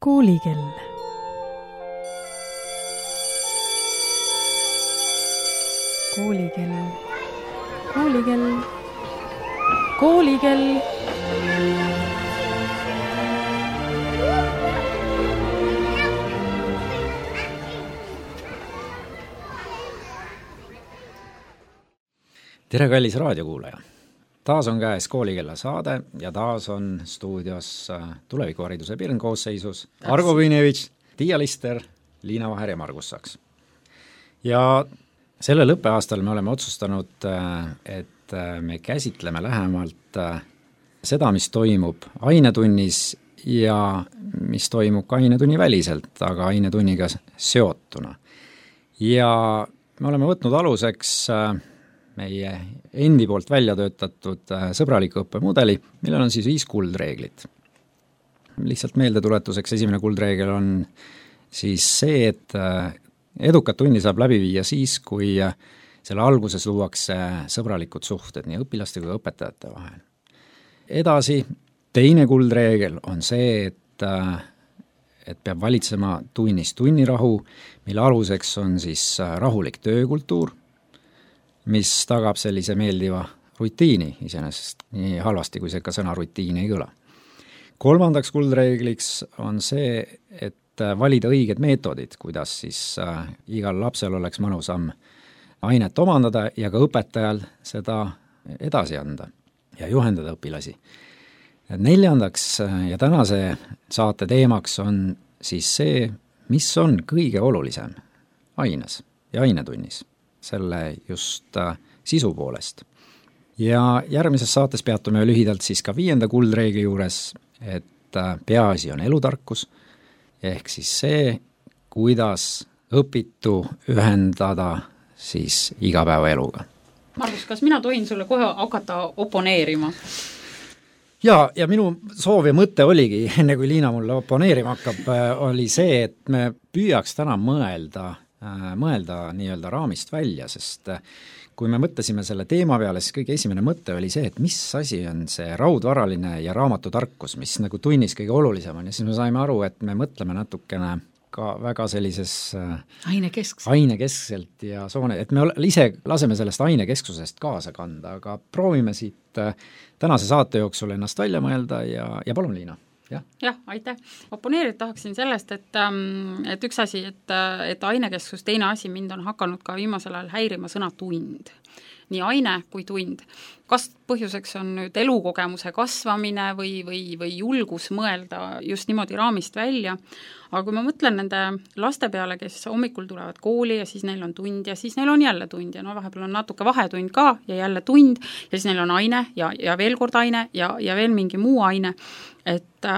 Koolikell. Koolikell. Koolikell. Koolikell. Tere, kallis raadiokuulaja! Taas on käes Koolikella saade ja taas on stuudios tulevikuhariduse pirnkoosseisus Argo Künevitš, Tiia Lister, Liina Vaher ja Margus Saks. Ja sellel õppeaastal me oleme otsustanud, et me käsitleme lähemalt seda, mis toimub ainetunnis ja mis toimub ka ainetunni väliselt, aga ainetunniga seotuna. Ja me oleme võtnud aluseks meie endi poolt välja töötatud sõbraliku õppemudeli, millel on siis 5 kuldreeglit. Lihtsalt meeldetuletuseks esimene kuldreegel on siis see, et edukat tunni saab läbi viia siis, kui selle alguses luuakse sõbralikud suhted nii õpilaste kui õpetajate vahel. Edasi, teine kuldreegel on see, et peab valitsema tunnis tunnirahu, mille aluseks on siis rahulik töökultuur, mis tagab sellise meeldiva rutiini, iseenesest nii halvasti, kui see ka sõna rutiin ei kõla. Kolmandaks kuldreegliks on see, et valida õiged meetodid, kuidas siis igal lapsel oleks mõnusam ainet omandada ja ka õpetajal seda edasi anda ja juhendada õpilasi. Neljandaks ja tänase saate teemaks on siis see, mis on kõige olulisem aines ja ainetunnis, selle just sisu poolest. Ja järgmises saates peatume lühidalt siis ka 5. kuldreegli juures, et peaasi on elutarkus, ehk siis see, kuidas õpitu ühendada siis igapäevaeluga. Margus, kas mina tohin sulle kohe hakata oponeerima? Ja minu soov ja mõte oligi, enne kui Liina mulle oponeerima hakkab, oli see, et me püüaks täna mõelda nii-öelda raamist välja, sest kui me mõtlesime selle teema peale, siis kõige esimene mõte oli see, et mis asi on see raudvaraline ja raamatutarkus, mis nagu tunnis kõige olulisem on, ja siis me saime aru, et me mõtleme natukene ka väga sellises ainekeskselt ja et me ise laseme sellest ainekesksusest kaasa kanda, aga proovime siit tänase saate jooksul ennast välja mõelda ja palun, Liina. Jah, aitäh. Oponeerida tahaksin sellest, et üks asi, et ainekeskus, teine asi mind on hakanud ka viimasel ajal häirima sõna tund. Nii aine kui tund. Kas põhjuseks on nüüd elukogemuse kasvamine või julgus mõelda just niimoodi raamist välja, aga kui ma mõtlen nende laste peale, kes hommikul tulevad kooli ja siis neil on tund ja siis neil on jälle tund ja vahepeal on natuke vahetund ka ja jälle tund ja siis neil on aine ja veel kord aine ja veel mingi muu aine, et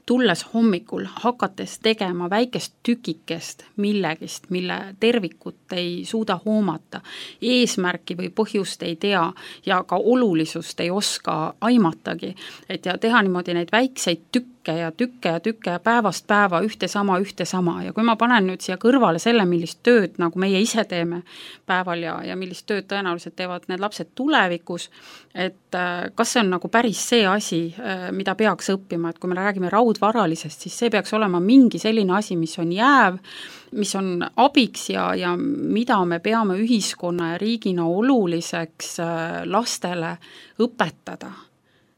tulles hommikul, hakates tegema väikest tükikest millegist, mille tervikut ei suuda hoomata, eesmärki või põhjust ei tea ja ka olulisust ei oska aimatagi, et ja teha niimoodi neid väikseid tükke ja päevast päeva ühte sama ja kui ma panen nüüd siia kõrvale selle, millist tööd nagu meie ise teeme päeval ja millist tööd tõenäoliselt teevad need lapsed tulevikus, et kas see on nagu päris see asi, mida peaks õppima, et kui me räägime raudvaralisest, siis see peaks olema mingi selline asi, mis on jääv, mis on abiks ja mida me peame ühiskonna ja riigina oluliseks lastele õpetada.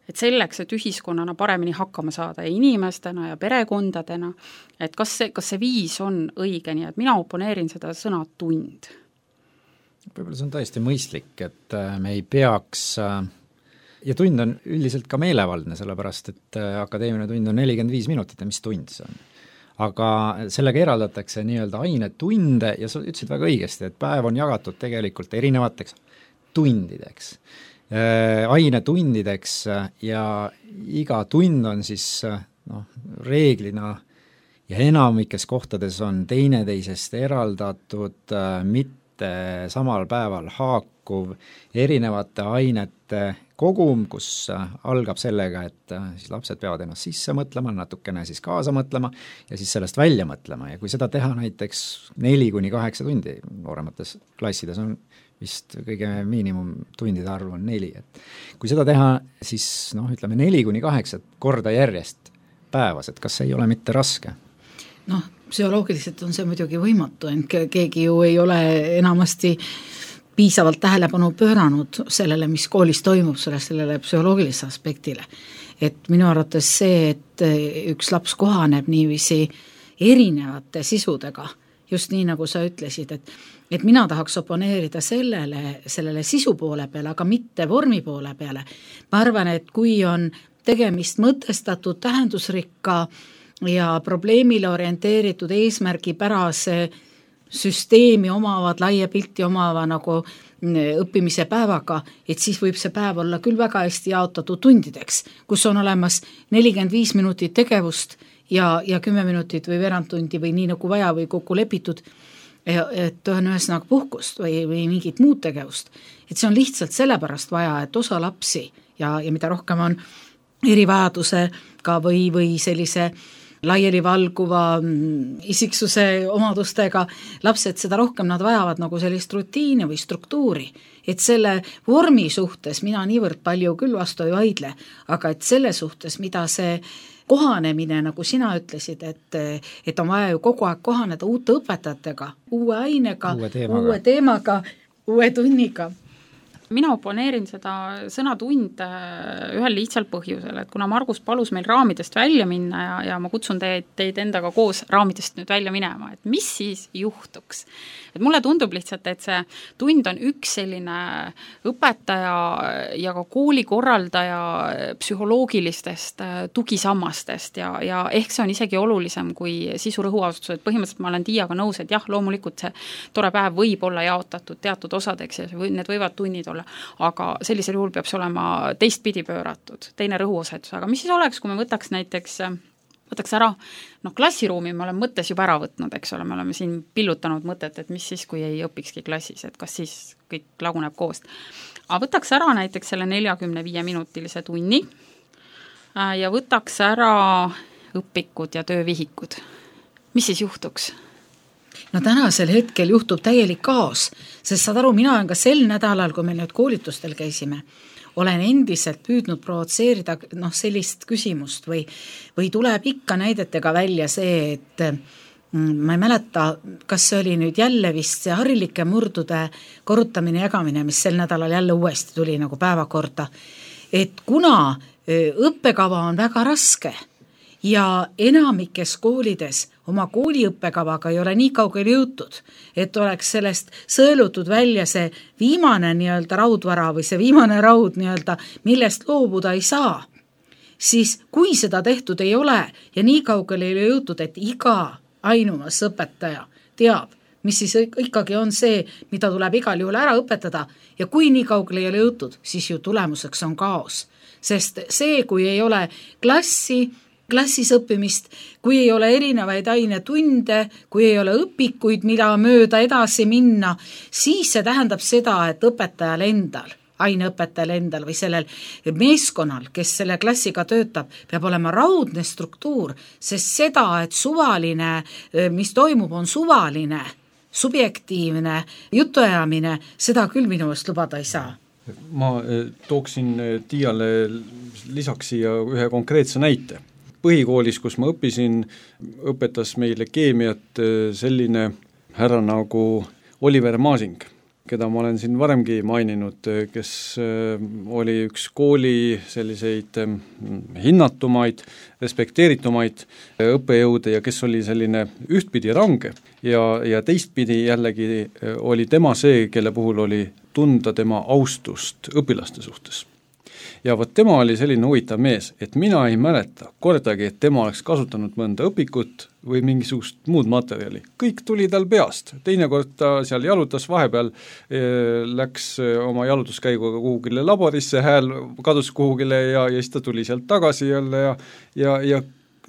Et selleks, et ühiskonnana paremini hakkama saada ja inimestena ja perekondadena, et kas see viis on õige, nii et mina oponeerin seda sõna tund. Võib-olla see on täiesti mõistlik, et me ei peaks, ja tund on üldiselt ka meelevaldne, sellepärast et akadeemiline tund on 45 minutit ja mis tund see on. Aga sellega eraldatakse nii-öelda ainetunde ja sa ütlesid väga õigesti, et päev on jagatud tegelikult erinevateks tundideks. Ainetundideks ja iga tund on siis reeglina ja enamikes kohtades on teineteisest eraldatud, mitte samal päeval haakuv erinevate ainete kogum, kus algab sellega, et siis lapsed peavad ennast sisse mõtlema, natukene siis kaasa mõtlema ja siis sellest välja mõtlema ja kui seda teha näiteks 4-8 tundi, nooremates klassides on vist kõige miinimumtundide arv on 4, et kui seda teha, siis ütleme 4-8 korda järjest päevas, et kas see ei ole mitte raske? Noh, psühholoogiliselt on see muidugi võimatu, ent keegi ju ei ole enamasti piisavalt tähelepanu pööranud sellele, mis koolis toimub, sellele psühholoogilise aspektile. Et minu arvates see, et üks laps kohaneb niiviisi erinevate sisudega, just nii, nagu sa ütlesid, et mina tahaks oponeerida sellele sisu poole peale, aga mitte vormi poole peale. Ma arvan, et kui on tegemist mõtestatud, tähendusrikka ja probleemile orienteeritud eesmärgipärase süsteemi omavad, laia pilti omava nagu õppimise päevaga, et siis võib see päev olla küll väga hästi jaotatud tundideks, kus on olemas 45 minutit tegevust ja 10 minutit või veerand tundi või nii nagu vaja või kokku lepitud, et on ühesõnaga puhkust või mingit muud tegevust. Et see on lihtsalt sellepärast vaja, et osa lapsi ja mida rohkem on erivajadusega või sellise laiali valguva isiksuse omadustega lapsed, seda rohkem nad vajavad nagu sellist rutiini või struktuuri. Et selle vormi suhtes mina niivõrd palju küll vastu ei vaidle, aga et selle suhtes, mida see kohanemine, nagu sina ütlesid, et on vaja ju kogu aeg kohaneda uute õpetajatega, uue ainega, uue teemaga, uue tunniga. Mina oponeerin seda sõna tund ühel lihtsal põhjusel, et kuna Margus palus meil raamidest välja minna ja ma kutsun teid endaga koos raamidest nüüd välja minema, et mis siis juhtuks. Et mulle tundub lihtsalt, et see tund on üks selline õpetaja ja ka koolikorraldaja psühholoogilistest tugisammastest ja ehk see on isegi olulisem kui sisu rõhuasustus, et põhimõtteliselt ma olen Tiiaga nõus, et jah, loomulikult see tore päev võib olla jaotatud teatud osadeks ja need võivad tunnid olla, aga sellisel juhul peab see olema teistpidi pööratud, teine rõhuosetus, aga mis siis oleks, kui me võtaks ära, klassiruumi me oleme mõttes juba ära võtnud, eks ole, me oleme siin pillutanud mõtet, et mis siis, kui ei õpikski klassis, et kas siis kõik laguneb koost. Aga võtaks ära näiteks selle 45-minutilise tunni ja võtaks ära õpikud ja töövihikud. Mis siis juhtuks? No tänasel hetkel juhtub täielik kaos, sest saad aru, mina olen ka sel nädalal, kui me nüüd koolitustel käisime, olen endiselt püüdnud provotseerida sellist küsimust või tuleb ikka näidetega välja see, et ma ei mäleta, kas see oli nüüd jälle vist see harilike murdude korrutamine ja jagamine, mis sel nädalal jälle uuesti tuli nagu päevakorda, et kuna õppekava on väga raske ja enamikes koolides oma kooliõppekavaga ei ole nii kaugele jõutud, et oleks sellest sõelutud välja see viimane nii-öelda raudvara või see viimane raud nii-öelda, millest loobuda ei saa, siis kui seda tehtud ei ole ja nii kaugele ei ole jõutud, et iga ainumas õpetaja teab, mis siis ikkagi on see, mida tuleb igal juhul ära õpetada ja kui nii kaugele ei ole jõutud, siis ju tulemuseks on kaos. Sest see, kui ei ole klassis õppimist, kui ei ole erinevaid ainetunde, kui ei ole õpikuid, mida mööda edasi minna, siis see tähendab seda, et õpetajal endal, aineõpetajal endal või sellel meeskonnal, kes selle klassiga töötab, peab olema raudne struktuur, sest seda, et suvaline, mis toimub, on suvaline, subjektiivne jutuajamine, seda küll minu eest lubada ei saa. Ma tooksin Tiiale lisaks siia ühe konkreetse näite. Põhikoolis, kus ma õppisin, õpetas meile keemiat selline härra nagu Oliver Masing, keda ma olen siin varemgi maininud, kes oli üks kooli selliseid hinnatumaid, respekteeritumaid õppejõude ja kes oli selline ühtpidi range ja teistpidi jällegi oli tema see, kelle puhul oli tunda tema austust õpilaste suhtes. Ja vot tema oli selline huvitav mees, et mina ei mäleta kordagi, et tema oleks kasutanud mõnda õpikut või mingisugust muud materjali. Kõik tuli tal peast. Teinekord ta seal jalutas vahepeal, läks oma jalutuskäiguga kuhugile laborisse, hääl kadus kuhugile ja siis ta tuli sealt tagasi jälle ja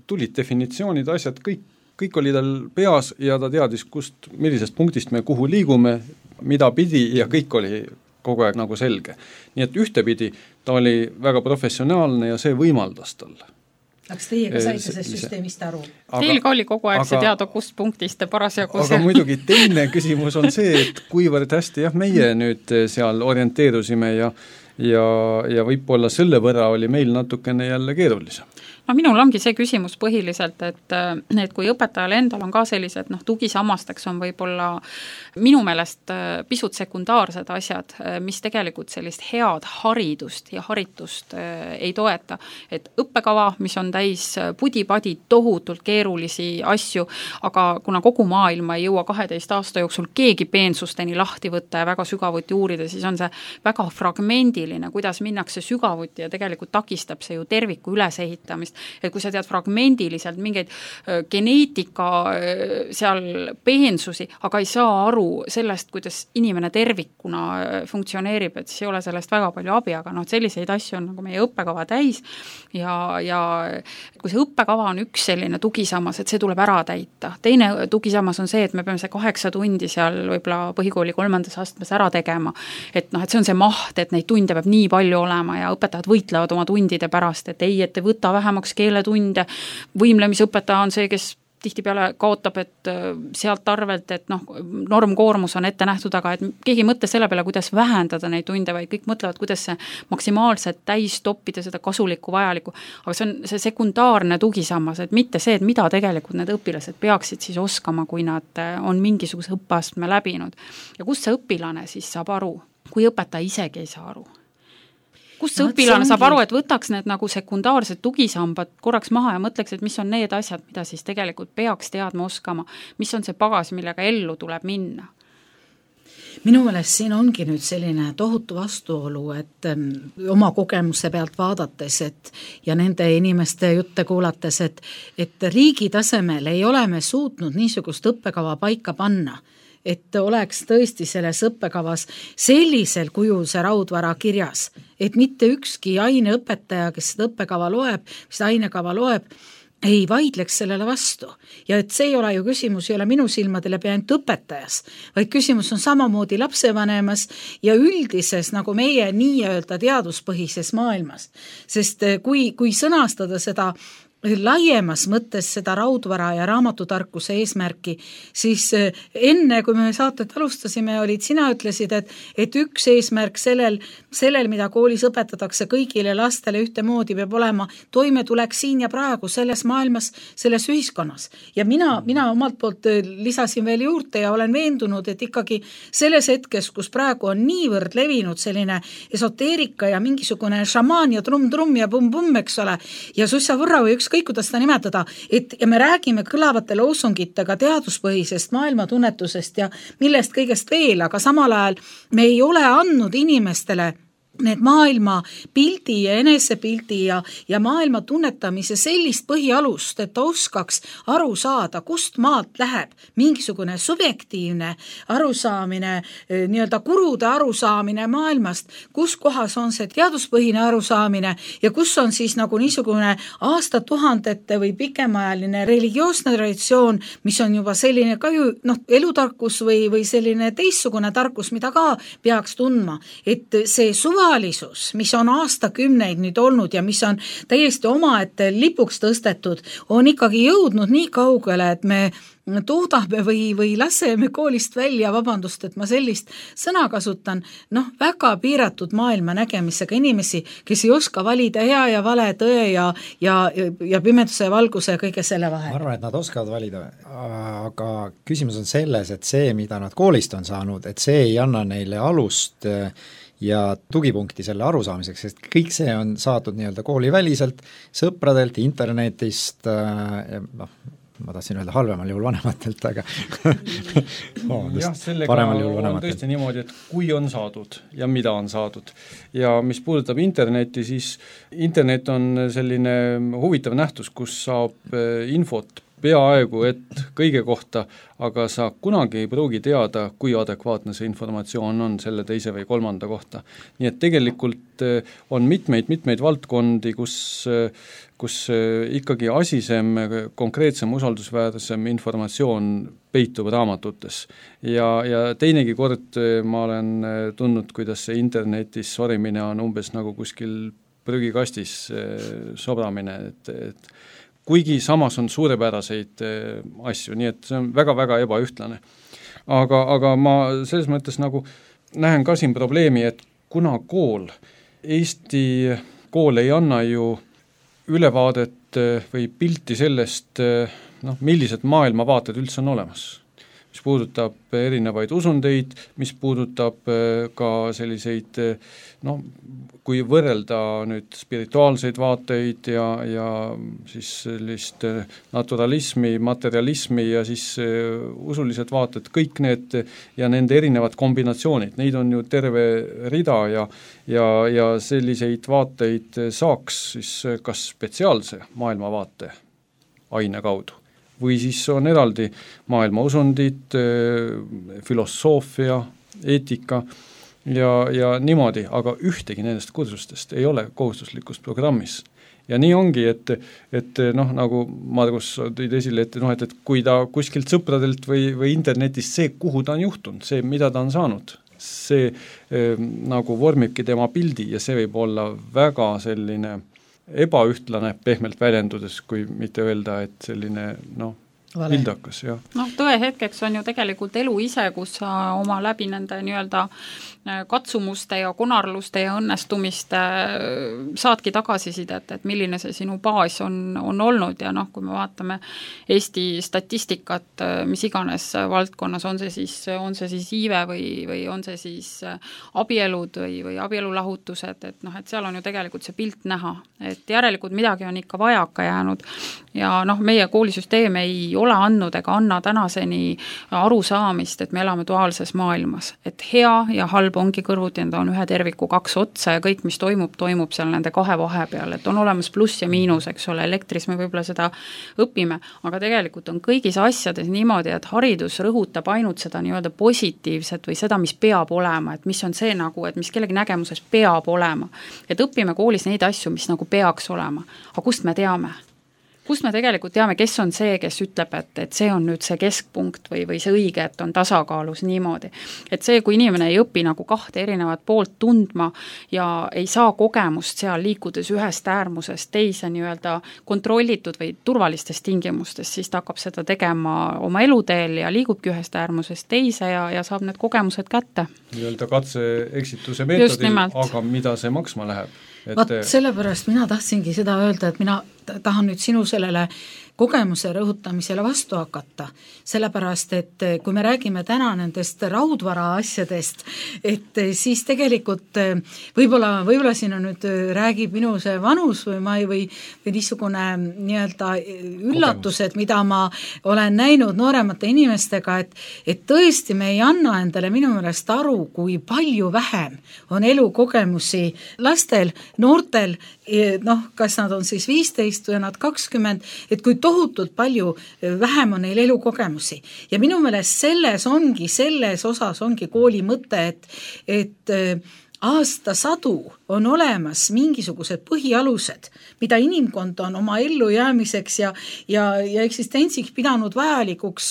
tulid definitsioonid, asjad, kõik oli tal peas ja ta teadis, millisest punktist me kuhu liigume, mida pidi ja kõik oli kogu aeg nagu selge. Nii et ühtepidi ta oli väga professionaalne ja see võimaldas talle. Kas teie ka saite sellest süsteemist aru? Teil ka oli kogu aeg see teada, kust punktist te parasjagu aga muidugi teine küsimus on see, et kuivõrd hästi meie nüüd seal orienteerusime ja võib-olla selle võrra oli meil natukene jälle keerulisem. minul ongi see küsimus põhiliselt, et kui õpetajal endal on ka sellised tugisammasteks on võib-olla minu meelest pisut sekundaarsed asjad, mis tegelikult sellist head haridust ja haritust ei toeta. Et õppekava, mis on täis pudi-padi tohutult keerulisi asju, aga kuna kogu maailma ei jõua 12 aasta jooksul keegi peensusteni lahti võtta ja väga sügavuti uurida, siis on see väga fragmendiline, kuidas minnakse sügavuti ja tegelikult takistab see ju terviku ülesehitamist. Et kui sa tead fragmendiliselt mingeid geneetika seal peensusi, aga ei saa aru sellest, kuidas inimene tervikuna funktsioneerib, et siis ei ole sellest väga palju abi, aga selliseid asju on nagu meie õppekava täis ja kui see õppekava on üks selline tugisammas, et see tuleb ära täita. Teine tugisammas on see, et me peame see 8 tundi seal võib-olla põhikooli 3. astmes ära tegema, et see on see maht, et neid tunde peab nii palju olema ja õpetajad võitlevad oma tundide pärast, et ei võta vähemaks keeletunde, võimlemisõpetaja on see, kes tihtipeale kaotab, et sealt arvelt, et normkoormus on ette nähtud, aga et keegi ei mõtle selle peale, kuidas vähendada neid tunde, vaid kõik mõtlevad, kuidas see maksimaalselt täis toppida seda kasulikku vajalikku, aga see on see sekundaarne tugisammas, et mitte see, et mida tegelikult need õpilased peaksid siis oskama, kui nad on mingisuguse õppeastme läbinud. Ja kust see õpilane siis saab aru, kui õpetaja isegi ei saa aru? Kust see õpilane saab aru, et võtaks need nagu sekundaarsed tugisambad korraks maha ja mõtleks, et mis on need asjad, mida siis tegelikult peaks teadma oskama, mis on see pagas, millega ellu tuleb minna? Minu meelest siin ongi nüüd selline tohutu vastuolu, et oma kogemuse pealt vaadates ja nende inimeste jutte kuulates, et riigi tasemel ei ole me suutnud niisugust õppekava paika panna, et oleks tõesti selles õppekavas sellisel kujul see raudvara kirjas, et mitte ükski aineõpetaja, kes seda õppekava loeb, seda ainekava loeb, ei vaidleks sellele vastu. Ja et see ei ole ju küsimus, ei ole minu silmadele ainult õpetajas, vaid küsimus on samamoodi lapsevanemas ja üldises nagu meie nii-öelda teaduspõhises maailmas. Sest kui sõnastada seda laiemas mõttes seda raudvara ja raamatutarkuse eesmärki, siis enne, kui me saatet alustasime, sina ütlesid, et üks eesmärk sellel, mida koolis õpetatakse kõigile lastele ühtemoodi, peab olema toimetulek siin ja praegu selles maailmas, selles ühiskonnas. Ja mina omalt poolt lisasin veel juurde ja olen veendunud, et ikkagi selles hetkes, kus praegu on niivõrd levinud selline esoteerika ja mingisugune šamaan ja trumm ja pumm, eks ole, ja sussa võrra või ükskõik, kuidas seda nimetada, ja me räägime kõlavate loosungitega teaduspõhisest maailmatunnetusest ja millest kõigest veel, aga samal ajal me ei ole andnud inimestele need maailma pildi ja enesepildi ja maailma tunnetamise sellist põhialust, et ta oskaks aru saada, kust maalt läheb mingisugune subjektiivne arusaamine, nii-öelda kurude arusaamine maailmast, kus kohas on see teaduspõhine arusaamine ja kus on siis nagu niisugune aastatuhandete või pikemaajaline religioosne traditsioon, mis on juba selline ka ju elutarkus või selline teistsugune tarkus, mida ka peaks tundma, et see suvalisus, mis on aastakümneid nüüd olnud ja mis on täiesti omaette lipuks tõstetud, on ikkagi jõudnud nii kaugele, et me toodame või laseme koolist välja, vabandust, et ma sellist sõna kasutan, väga piiratud maailma nägemisega inimesi, kes ei oska valida hea ja vale, tõe ja pimeduse ja valguse ja kõige selle vahel. Ma arvan, et nad oskavad valida, aga küsimus on selles, et see, mida nad koolist on saanud, et see ei anna neile alust ja tugipunkti selle arusaamiseks, sest kõik see on saadud nii-öelda kooliväliselt, sõpradelt, internetist, ma tahtsin öelda halvemal juhul vanematelt, aga jah, sellega on tõesti niimoodi, et kui on saadud ja mida on saadud. Ja mis puudutab internetti, siis internet on selline huvitav nähtus, kus saab infot peaaegu et kõige kohta, aga sa kunagi ei pruugi teada, kui adekvaatne see informatsioon on selle teise või kolmanda kohta. Nii et tegelikult on mitmeid valdkondi, kus ikkagi asisem, konkreetsem, usaldusväärsem informatsioon peitub raamatutes. Ja teinegi kord ma olen tundnud, kuidas see internetis sorimine on umbes nagu kuskil prügikastis sobramine, et kuigi samas on suurepäraseid asju, nii et see on väga-väga ebaühtlane. Aga ma selles mõttes nagu näen ka siin probleemi, et kuna Eesti kool ei anna ju ülevaadet vaadet või pilti sellest, millised maailmavaated üldse on olemas. Mis puudutab erinevaid usundeid, mis puudutab ka selliseid, kui võrrelda nüüd spirituaalseid vaateid ja siis sellist naturalismi, materialismi ja siis usulised vaated, kõik need ja nende erinevad kombinatsioonid, neid on ju terve rida ja selliseid vaateid saaks siis kas spetsiaalse maailmavaate aine kaudu või siis on eraldi maailmausundid, filosoofia, eetika ja niimoodi, aga ühtegi nendest kursustest ei ole kohustuslikus programmis. Ja nii ongi, et nagu Margus tõid esile, et kui ta kuskilt sõpradelt või internetist see, kuhu ta on juhtunud, see, mida ta on saanud, see nagu vormibki tema pildi ja see võib olla väga selline ebaühtlane pehmelt väljendudes, kui mitte öelda, et selline vildakas, jah. Tõe hetkeks on ju tegelikult elu ise, kus sa oma läbi nende nii-öelda katsumuste ja konarluste ja õnnestumiste saadki tagasisidet, et milline see sinu baas on olnud ja kui me vaatame Eesti statistikat, mis iganes valdkonnas, on see siis iive või on see siis abielud või abielulahutused, et seal on ju tegelikult see pilt näha, et järelikult midagi on ikka vajaka jäänud ja meie koolisüsteem ei ole andnud ega anna tänaseni arusaamist, et me elame duaalses maailmas, et hea ja halb ongi kõrvuti, need on ühe terviku kaks otsa ja kõik, mis toimub seal nende kahe vahe peal, et on olemas pluss ja miinus, eks ole, elektris me võib-olla seda õpime, aga tegelikult on kõigis asjades niimoodi, et haridus rõhutab ainult seda nii-öelda positiivset või seda, mis peab olema, et mis on see et mis kellegi nägemuses peab olema. Et õpime koolis neid asju, mis nagu peaks olema, aga kust me teame? Kust me tegelikult teame, kes on see, kes ütleb, et see on nüüd see keskpunkt või see õige, et on tasakaalus niimoodi. Et see, kui inimene ei õpi nagu kahte erinevat poolt tundma ja ei saa kogemust seal liikudes ühest äärmusest teise nii-öelda kontrollitud või turvalistes tingimustes, siis ta hakkab seda tegema oma eluteel ja liigubki ühest äärmusest teise ja saab need kogemused kätte. Nii-öelda katse-eksituse meetodil, aga mida see maksma läheb? Sellepärast mina tahtsingi seda öelda, et mina tahan nüüd sinu sellele kogemuse rõhutamisele vastu hakata, sellepärast, et kui me räägime täna nendest raudvara asjadest, et siis tegelikult võib-olla siin on nüüd räägib minu see vanus või niisugune nii-öelda üllatused, mida ma olen näinud nooremate inimestega, et tõesti me ei anna endale minu meelest aru, kui palju vähem on elukogemusi lastel, noortel, kas nad on siis 15 või nad 20, et kui tohutult palju vähem on neil elukogemusi. Ja minu meelest selles osas ongi kooli mõte, et aastasadu on olemas mingisugused põhialused, mida inimkond on oma ellujäämiseks ja eksistentsiks pidanud vajalikuks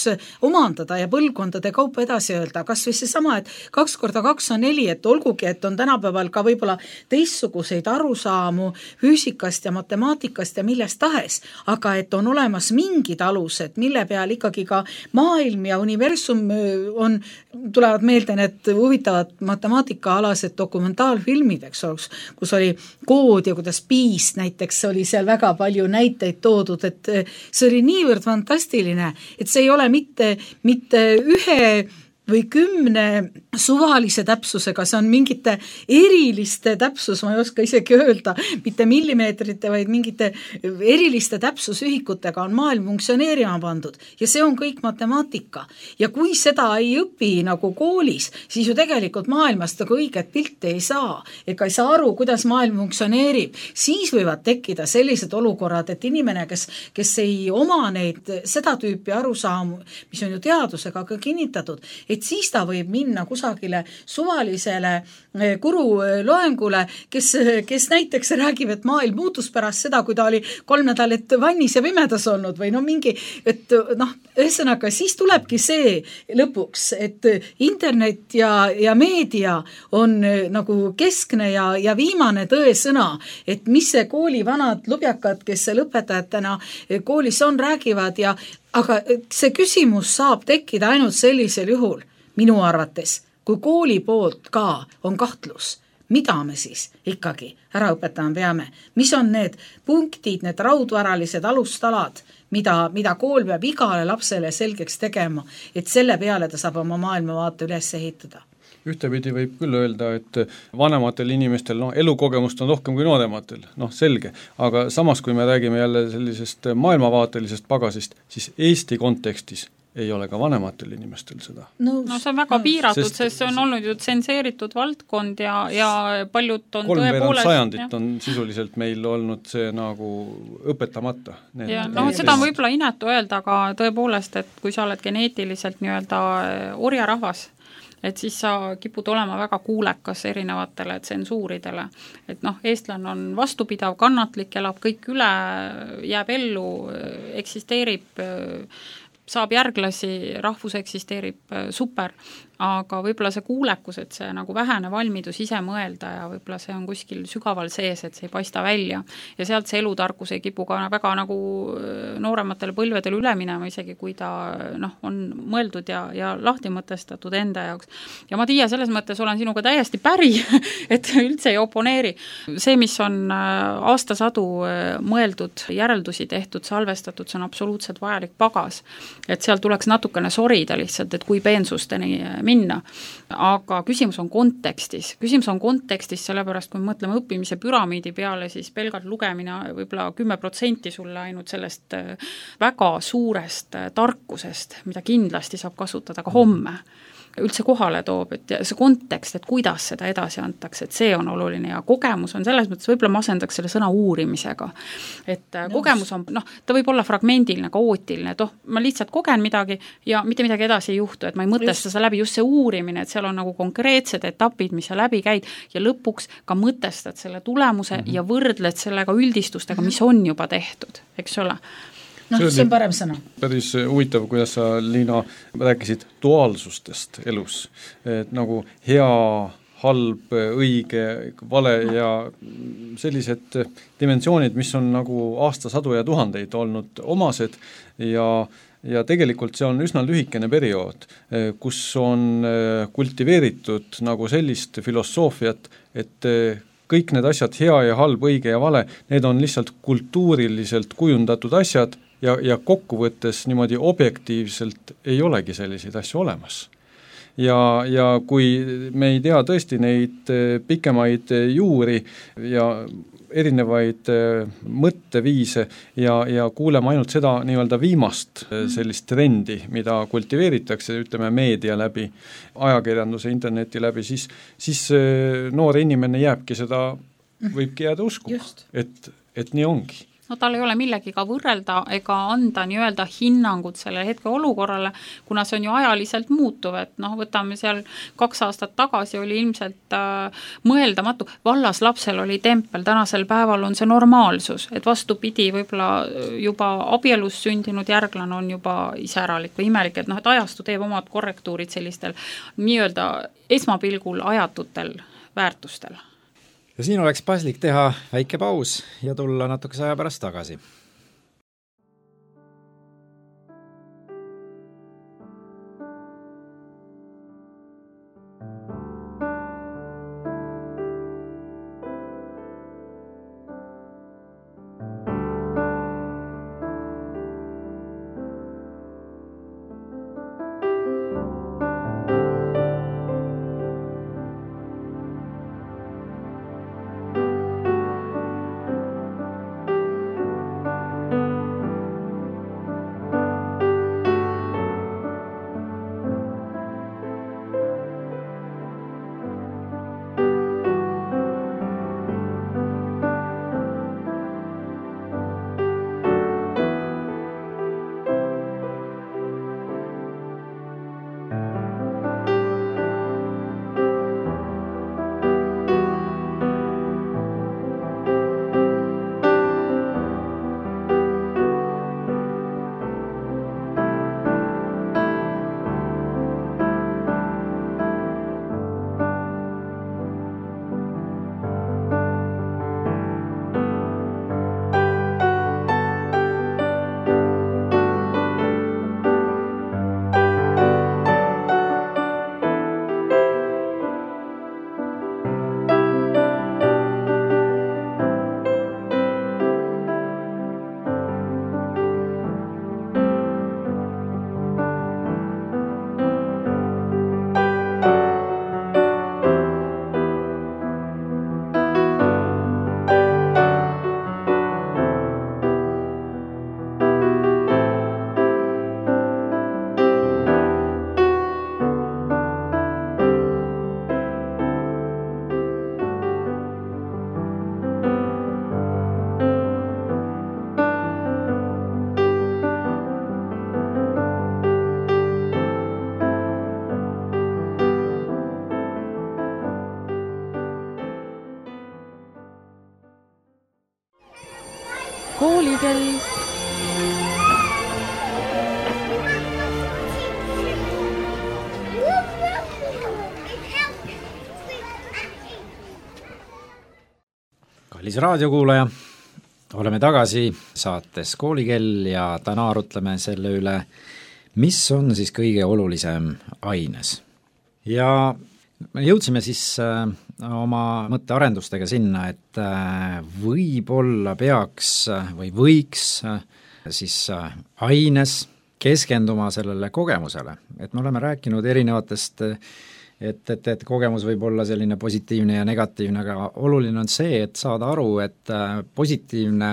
omandada ja põlvkondade kaupa edasi öelda. Kas või see sama, et 2 × 2 on 4, et olgugi, et on tänapäeval ka võib-olla teistsuguseid arusaamu füüsikast ja matemaatikast ja millest tahes, aga et on olemas mingid alused, mille peal ikkagi ka maailm ja universum tulevad meelde need huvitavad matemaatikaalased dokumentaalfilmid, eks ole, kus oli kood ja kuidas piis näiteks oli seal väga palju näiteid toodud, et see oli niivõrd fantastiline, et see ei ole mitte ühe või 10 suvalise täpsusega, see on mingite eriliste täpsus, ma ei oska isegi öelda, mitte millimeetrite, vaid mingite eriliste täpsusühikutega on maailm funktsioneerima pandud ja see on kõik matemaatika. Ja kui seda ei õpi nagu koolis, siis ju tegelikult maailmast nagu õiget pilti ei saa, ega ei saa aru, kuidas maailm funktsioneerib. Siis võivad tekkida sellised olukorrad, et inimene, kes ei oma seda tüüpi arusaamu, mis on ju teadusega ka kinnitatud, et siis ta võib minna kusagile suvalisele guru loengule, kes näiteks räägib, et maailm muutus pärast seda, kui ta oli 3 nädalat vannis ja pimedas olnud või ühesõnaga, siis tulebki see lõpuks, et internet ja meedia on nagu keskne ja viimane tõesõna, et mis see kooli vanad lubjakad, kes lõpetajatena koolis on, räägivad aga see küsimus saab tekkida ainult sellisel juhul, minu arvates, kui kooli poolt ka on kahtlus. mida me siis ikkagi ära õpetama peame, mis on need punktid, need raudvaralised alustalad, mida kool peab igale lapsele selgeks tegema, et selle peale ta saab oma maailmavaate üles ehitada. Ühtepidi võib küll öelda, et vanematel inimestel elukogemust on rohkem kui noorematel, selge, aga samas, kui me räägime jälle sellisest maailmavaatelisest pagasist, siis Eesti kontekstis ei ole ka vanematel inimestel seda. No see on väga piiratud, sest see on olnud ju tsenseeritud valdkond ja paljud on tõepoolest... sajandit on sisuliselt meil olnud see nagu õpetamata. Seda on võib-olla inetu öelda, aga tõepoolest, et kui sa oled geneetiliselt nii-öelda orjarahvas, et siis sa kipud olema väga kuulekas erinevatele tsensuuridele. Et eestlane on vastupidav, kannatlik, elab kõik üle, jääb ellu, eksisteerib, saab järglasi, rahvus eksisteerib, super, aga võib-olla see kuulekus, et see nagu vähene valmidus ise mõelda ja võib-olla see on kuskil sügaval sees, et see ei paista välja ja sealt see elutarkus ei kipu ka väga nagu noorematele põlvedele üle minema, isegi kui ta on mõeldud ja lahti mõtestatud enda jaoks. Ja ma Tiia, selles mõttes olen sinuga täiesti päri, et üldse ei oponeeri. See, mis on aastasadu mõeldud, järeldusi tehtud, salvestatud, see on absoluutselt vajalik pagas. Et seal tuleks natukene sorida lihtsalt, et kui peensusteni minna, aga küsimus on kontekstis. Küsimus on kontekstis sellepärast, kui me mõtleme õppimise püramiidi peale, siis pelgalt lugemine võib-olla 10% sulle ainult sellest väga suurest tarkusest, mida kindlasti saab kasutada ka homme, üldse kohale toob, et see kontekst, et kuidas seda edasi antakse, et see on oluline ja kogemus on selles mõttes, võib-olla ma asendaks selle sõna uurimisega. Et kogemus on, ta võib olla fragmendiline, kaootiline, et ma lihtsalt kogen midagi ja mitte midagi edasi ei juhtu, et ma ei mõtesta seda läbi, just see uurimine, et seal on nagu konkreetsed etapid, mis sa läbi käid ja lõpuks ka mõtestad selle tulemuse ja võrdled sellega üldistustega, mis on juba tehtud, eks ole. See on parem sõna. Päris huvitav, kuidas sa, Liina, rääkisid duaalsustest elus. Et nagu hea, halb, õige, vale ja sellised dimensioonid, mis on nagu aastasadu ja tuhandeid olnud omased ja tegelikult see on üsna lühikene periood, kus on kultiveeritud nagu sellist filosoofiat, et kõik need asjad, hea ja halb, õige ja vale, need on lihtsalt kultuuriliselt kujundatud asjad ja kokkuvõttes niimoodi objektiivselt ei olegi selliseid asju olemas. Ja kui me ei tea tõesti neid pikemaid juuri ja erinevaid mõtteviise ja kuuleme ainult seda nii-öelda viimast sellist trendi, mida kultiveeritakse, ütleme meedia läbi, ajakirjanduse, interneti läbi, siis noor inimene jääbki seda, võibki jääda uskuma, et nii ongi. Tal ei ole millegiga võrrelda ega anda nii-öelda hinnangut selle hetke olukorrale, kuna see on ju ajaliselt muutuv, et võtame seal 2 aastat tagasi oli ilmselt mõeldamatu, vallas lapsel oli tempel, tänasel päeval on see normaalsus, et vastupidi, võib-olla juba abielus sündinud järglane on juba iseäralik või imelik, et et ajastu teeb omad korrektuurid sellistel nii-öelda esmapilgul ajatutel väärtustel. Ja siin oleks paslik teha väike paus ja tulla natukese aja pärast tagasi. kallis raadiokuulaja, oleme tagasi saates Koolikell ja täna arutleme selle üle, mis on siis kõige olulisem aines. Ja me jõudsime siis oma mõttearendustega sinna, et võib-olla peaks või võiks siis aines keskenduma sellele kogemusele, et me oleme rääkinud erinevatest et kogemus võib olla selline positiivne ja negatiivne, aga oluline on see, et saada aru, et positiivne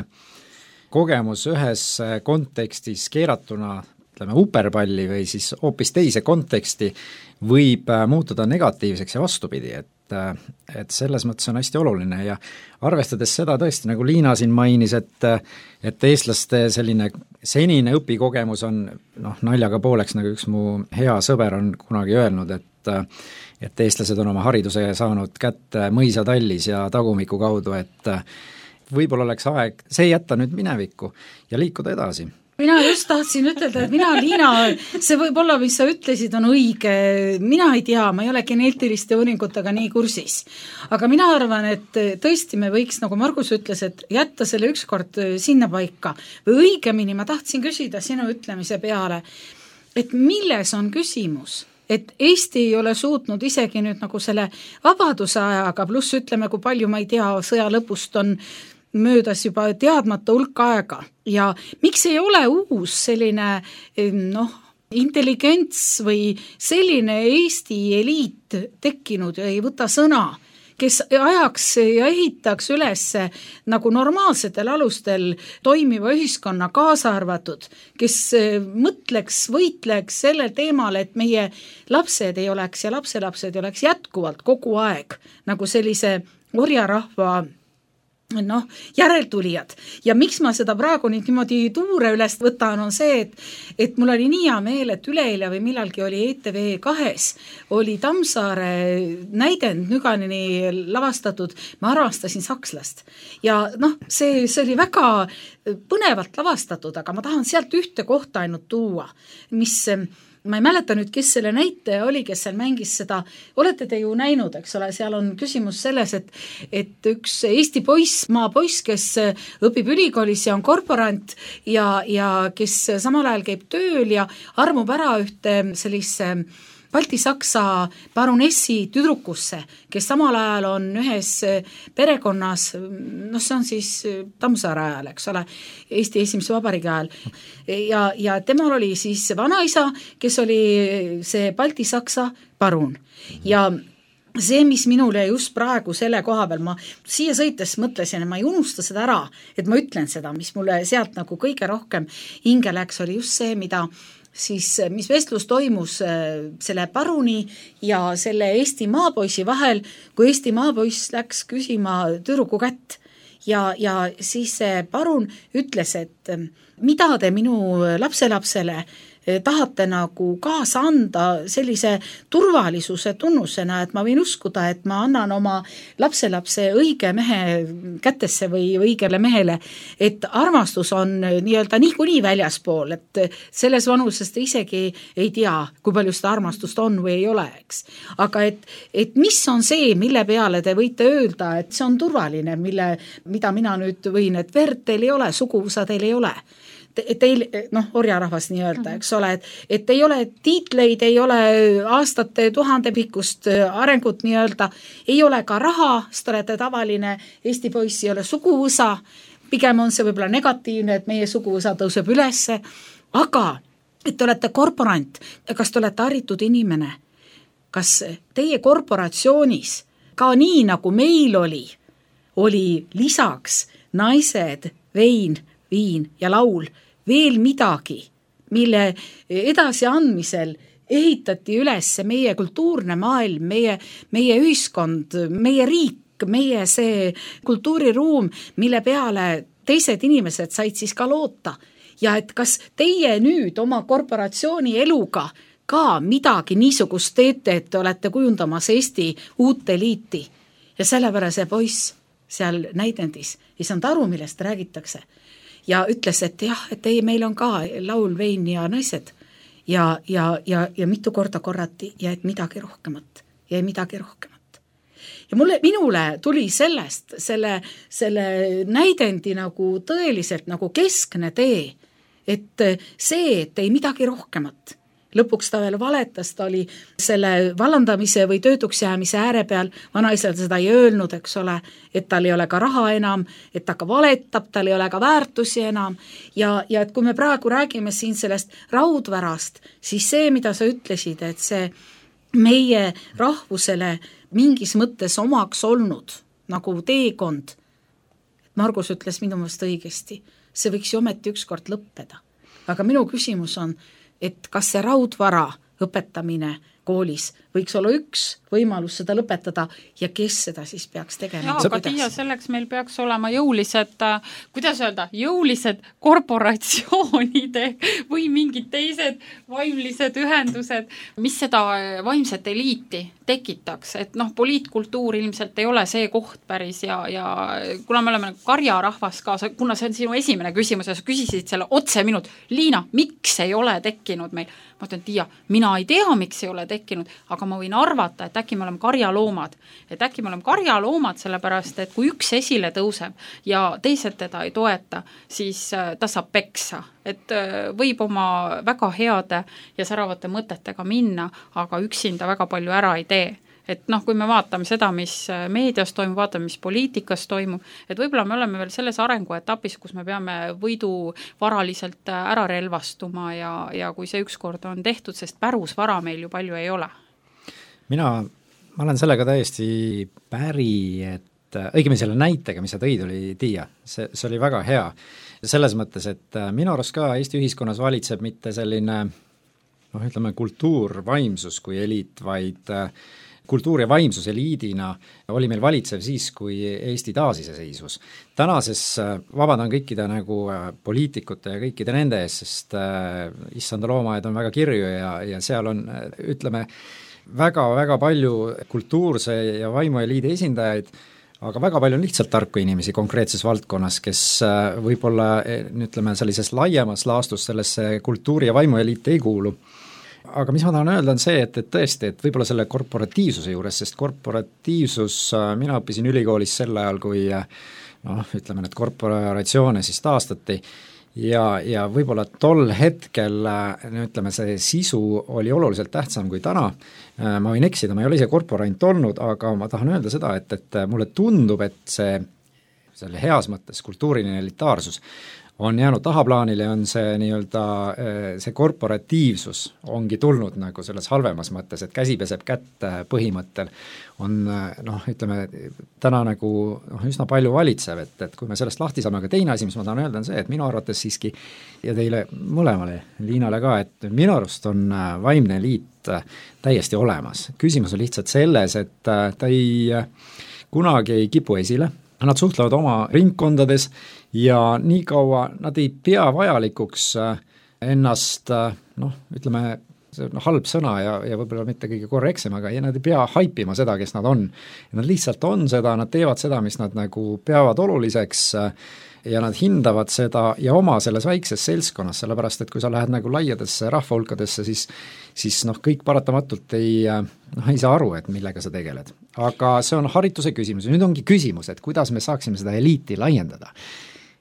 kogemus ühes kontekstis keeratuna, ütleme, uperpalli või siis hoopis teise konteksti võib muutuda negatiivseks ja vastupidi, et selles mõttes on hästi oluline ja arvestades seda tõesti, nagu Liina siin mainis, et eestlaste selline senine õpikogemus on naljaga pooleks, nagu üks mu hea sõber on kunagi öelnud, et eestlased on oma hariduse saanud kätte mõisatallis ja tagumiku kaudu, et võib-olla oleks aeg see jätta nüüd minevikku ja liikuda edasi. Mina just tahtsin ütelda, et Liina, see võib-olla, mis sa ütlesid, on õige, mina ei tea, ma ei ole geneetiliste uuringutega nii kursis. Aga mina arvan, et tõesti me võiks, nagu Margus ütles, et jätta selle ükskord sinna paika. Või õigemini ma tahtsin küsida sinu ütlemise peale, et milles on küsimus? Et Eesti ei ole suutnud isegi nüüd nagu selle vabaduse ajaga, pluss ütleme, kui palju ma ei tea, sõja lõpust on möödas juba teadmata hulk aega ja miks ei ole uus selline intelligents või selline Eesti eliit tekkinud ja ei võta sõna, kes ajaks ja ehitaks üles nagu normaalsetel alustel toimiva ühiskonna kaasa arvatud, kes mõtleks, võitleks sellel teemal, et meie lapsed ei oleks ja lapselapsed ei oleks jätkuvalt kogu aeg nagu sellise orjarahva järeltulijad. Ja miks ma seda praegu nüüd niimoodi tuure üles võtan, on see, et mul oli nii hea meel, et üleeile või millalgi oli ETV2 oli Tammsaare näidend Nüganini lavastatud Ma armastasin sakslast. Ja see oli väga põnevalt lavastatud, aga ma tahan sealt ühte kohta ainult tuua, mis ma ei mäleta nüüd, kes selle näitaja oli, kes seal mängis seda, olete te ju näinud, eks ole, seal on küsimus selles, et üks Eesti poiss, maapoiss, kes õpib ülikoolis ja on korporant ja kes samal ajal käib tööl ja armub ära ühte sellise Balti-Saksa baronessi tüdrukusse, kes samal ajal on ühes perekonnas, see on siis Tammsaare ajal, eks ole, Eesti esimese vabariigi ajal. Ja temal oli siis vanaisa, kes oli see Balti-Saksa barun. Ja see, mis minule just praegu selle koha peal, ma siia sõites mõtlesin, et ma ei unusta seda ära, et ma ütlen seda, mis mulle sealt nagu kõige rohkem hinge läks, oli just see, mis vestlus toimus selle baruni ja selle Eesti maapoisi vahel, kui Eesti maapoiss läks küsima tüdruku kätt ja siis see barun ütles, et mida te minu lapselapsele tahate nagu kaasa anda sellise turvalisuse tunnusena, et ma võin uskuda, et ma annan oma lapselapse õige mehe kätesse või õigele mehele, et armastus on nii-öelda niikuinii väljaspool, et selles vanuses te isegi ei tea, kui palju seda armastust on või ei ole, eks. Aga et mis on see, mille peale te võite öelda, et see on turvaline, mida mina nüüd võin, et verd teil ei ole, suguvõsa teil ei ole. Teil, orjarahvas nii öelda, eks ole, et ei ole tiitleid, ei ole aastate tuhandepikkust arengut nii öelda, ei ole ka raha, sest olete tavaline Eesti poiss, ei ole suguvõsa, pigem on see võib-olla negatiivne, et meie suguvõsa tõuseb ülesse, aga et te olete korporant, kas te olete haritud inimene, kas teie korporatsioonis ka nii nagu meil oli lisaks naised, vein, viin ja laul, veel midagi, mille edasiandmisel ehitati üles meie kultuurne maailm, meie ühiskond, meie riik, meie see kultuuriruum, mille peale teised inimesed said siis ka loota. Ja et kas teie nüüd oma korporatsiooni eluga ka midagi niisugust teete, et te olete kujundamas Eesti uut eliiti. Ja sellepärast see poiss seal näidendis ei saanud aru, millest räägitakse. Ja ütles, et jah, et ei, meil on ka laul, vein ja naised ja mitu korda korrati ja et midagi rohkemat. ja minule tuli sellest selle näidendi nagu tõeliselt nagu keskne tee, et see, et ei midagi rohkemat. Lõpuks ta veel valetas, ta oli selle vallandamise või töötuks jäämise ääre peal, vanaisal seda ei öelnud, eks ole, et tal ei ole ka raha enam, et ta ka valetab, tal ei ole ka väärtusi enam ja et kui me praegu räägime siin sellest raudvarast, siis see, mida sa ütlesid, et see meie rahvusele mingis mõttes omaks olnud nagu teekond, Margus ütles minu meelest õigesti, see võiks ju ometi ükskord lõppeda. Aga minu küsimus on, et kas see raudvara õpetamine koolis võiks olla üks võimalus seda lõpetada ja kes seda siis peaks tegema? Aga Tiia, selleks meil peaks olema jõulised, kuidas öelda, jõulised korporatsioonide või mingid teised vaimlised ühendused, mis seda vaimset eliiti tekitaks, et poliitkultuur ilmselt ei ole see koht päris ja kuna me oleme karjarahvas ka, kuna see on sinu esimene küsimus ja sa küsisid selle otse minult, Liina, miks ei ole tekkinud meil? Ma ütlen, Tiia, mina ei tea, miks ei ole tekkinud, aga ma võin arvata, et äkki me oleme karjaloomad. Et äkki me oleme karjaloomad sellepärast, et kui üks esile tõuseb ja teised teda ei toeta, siis ta saab peksa. Et võib oma väga heade ja säravate mõtetega minna, aga üksinda väga palju ära ei tee. Et kui me vaatame seda, mis meedias toimub, vaatame, mis poliitikas toimub, et võib-olla me oleme veel selles arenguetapis, kus me peame võidu varaliselt ära relvastuma ja kui see ükskord on tehtud, sest pärusvara meil ju palju ei ole. Ma olen sellega täiesti päri, et õigemini selle näitega, mis sa tõid, oli Tiia, see oli väga hea. Selles mõttes, et minu arust ka Eesti ühiskonnas valitseb mitte selline ütleme kultuur, vaimsus kui eliit, vaid kultuur ja vaimsus eliidina oli meil valitsev siis, kui Eesti taasiseseisvus. Tänases vabandan kõikide poliitikute ja kõikide nende ees, sest issanda loomaaed on väga kirju ja seal on, ütleme, väga-väga palju kultuurse ja vaimueliidi esindajaid, aga väga palju on lihtsalt tarku inimesi konkreetses valdkonnas, kes võib-olla, ütleme, sellises laiemas laastus sellesse kultuuri- ja vaimueliiti ei kuulu. Aga mis ma tahan öelda on see, et tõesti, et võib-olla selle korporatiivsuse juures, sest korporatiivsus, mina õppisin ülikoolis sel ajal, kui ütleme, need korporatsioone siis taastati ja võib-olla tol hetkel, ütleme, see sisu oli oluliselt tähtsam kui täna. Ma võin eksida, ma ei ole ise korporant olnud, aga ma tahan öelda seda, et mulle tundub, et selle heas mõttes kultuuriline elitaarsus on jäänud tahaplaanile, on see nii-öelda see korporatiivsus ongi tulnud nagu selles halvemas mõttes, et käsi peseb kätt põhimõttel on ütleme, täna nagu üsna palju valitsev, et kui me sellest lahti saame, aga teine asi, mis ma tahan öelda, on see, et minu arvates siiski ja teile mõlemale, Liinale ka, et minu arust on vaimne eliit täiesti olemas. Küsimus on lihtsalt selles, et ta kunagi ei kipu esile, nad suhtlevad oma ringkondades ja nii kaua nad ei pea vajalikuks ennast, ütleme, see on halb sõna ja võib-olla mitte kõige korrektsem, aga nad ei pea haipima seda, kes nad on. Nad lihtsalt on seda, nad teevad seda, mis nad nagu peavad oluliseks ja nad hindavad seda ja oma selles väikses seltskonnas, sellepärast et kui sa lähed nagu laiadesse rahvahulkadesse, siis kõik paratamatult ei saa aru, et millega sa tegeled. Aga see on harituse küsimus ja nüüd ongi küsimus, et kuidas me saaksime seda eliiti laiendada.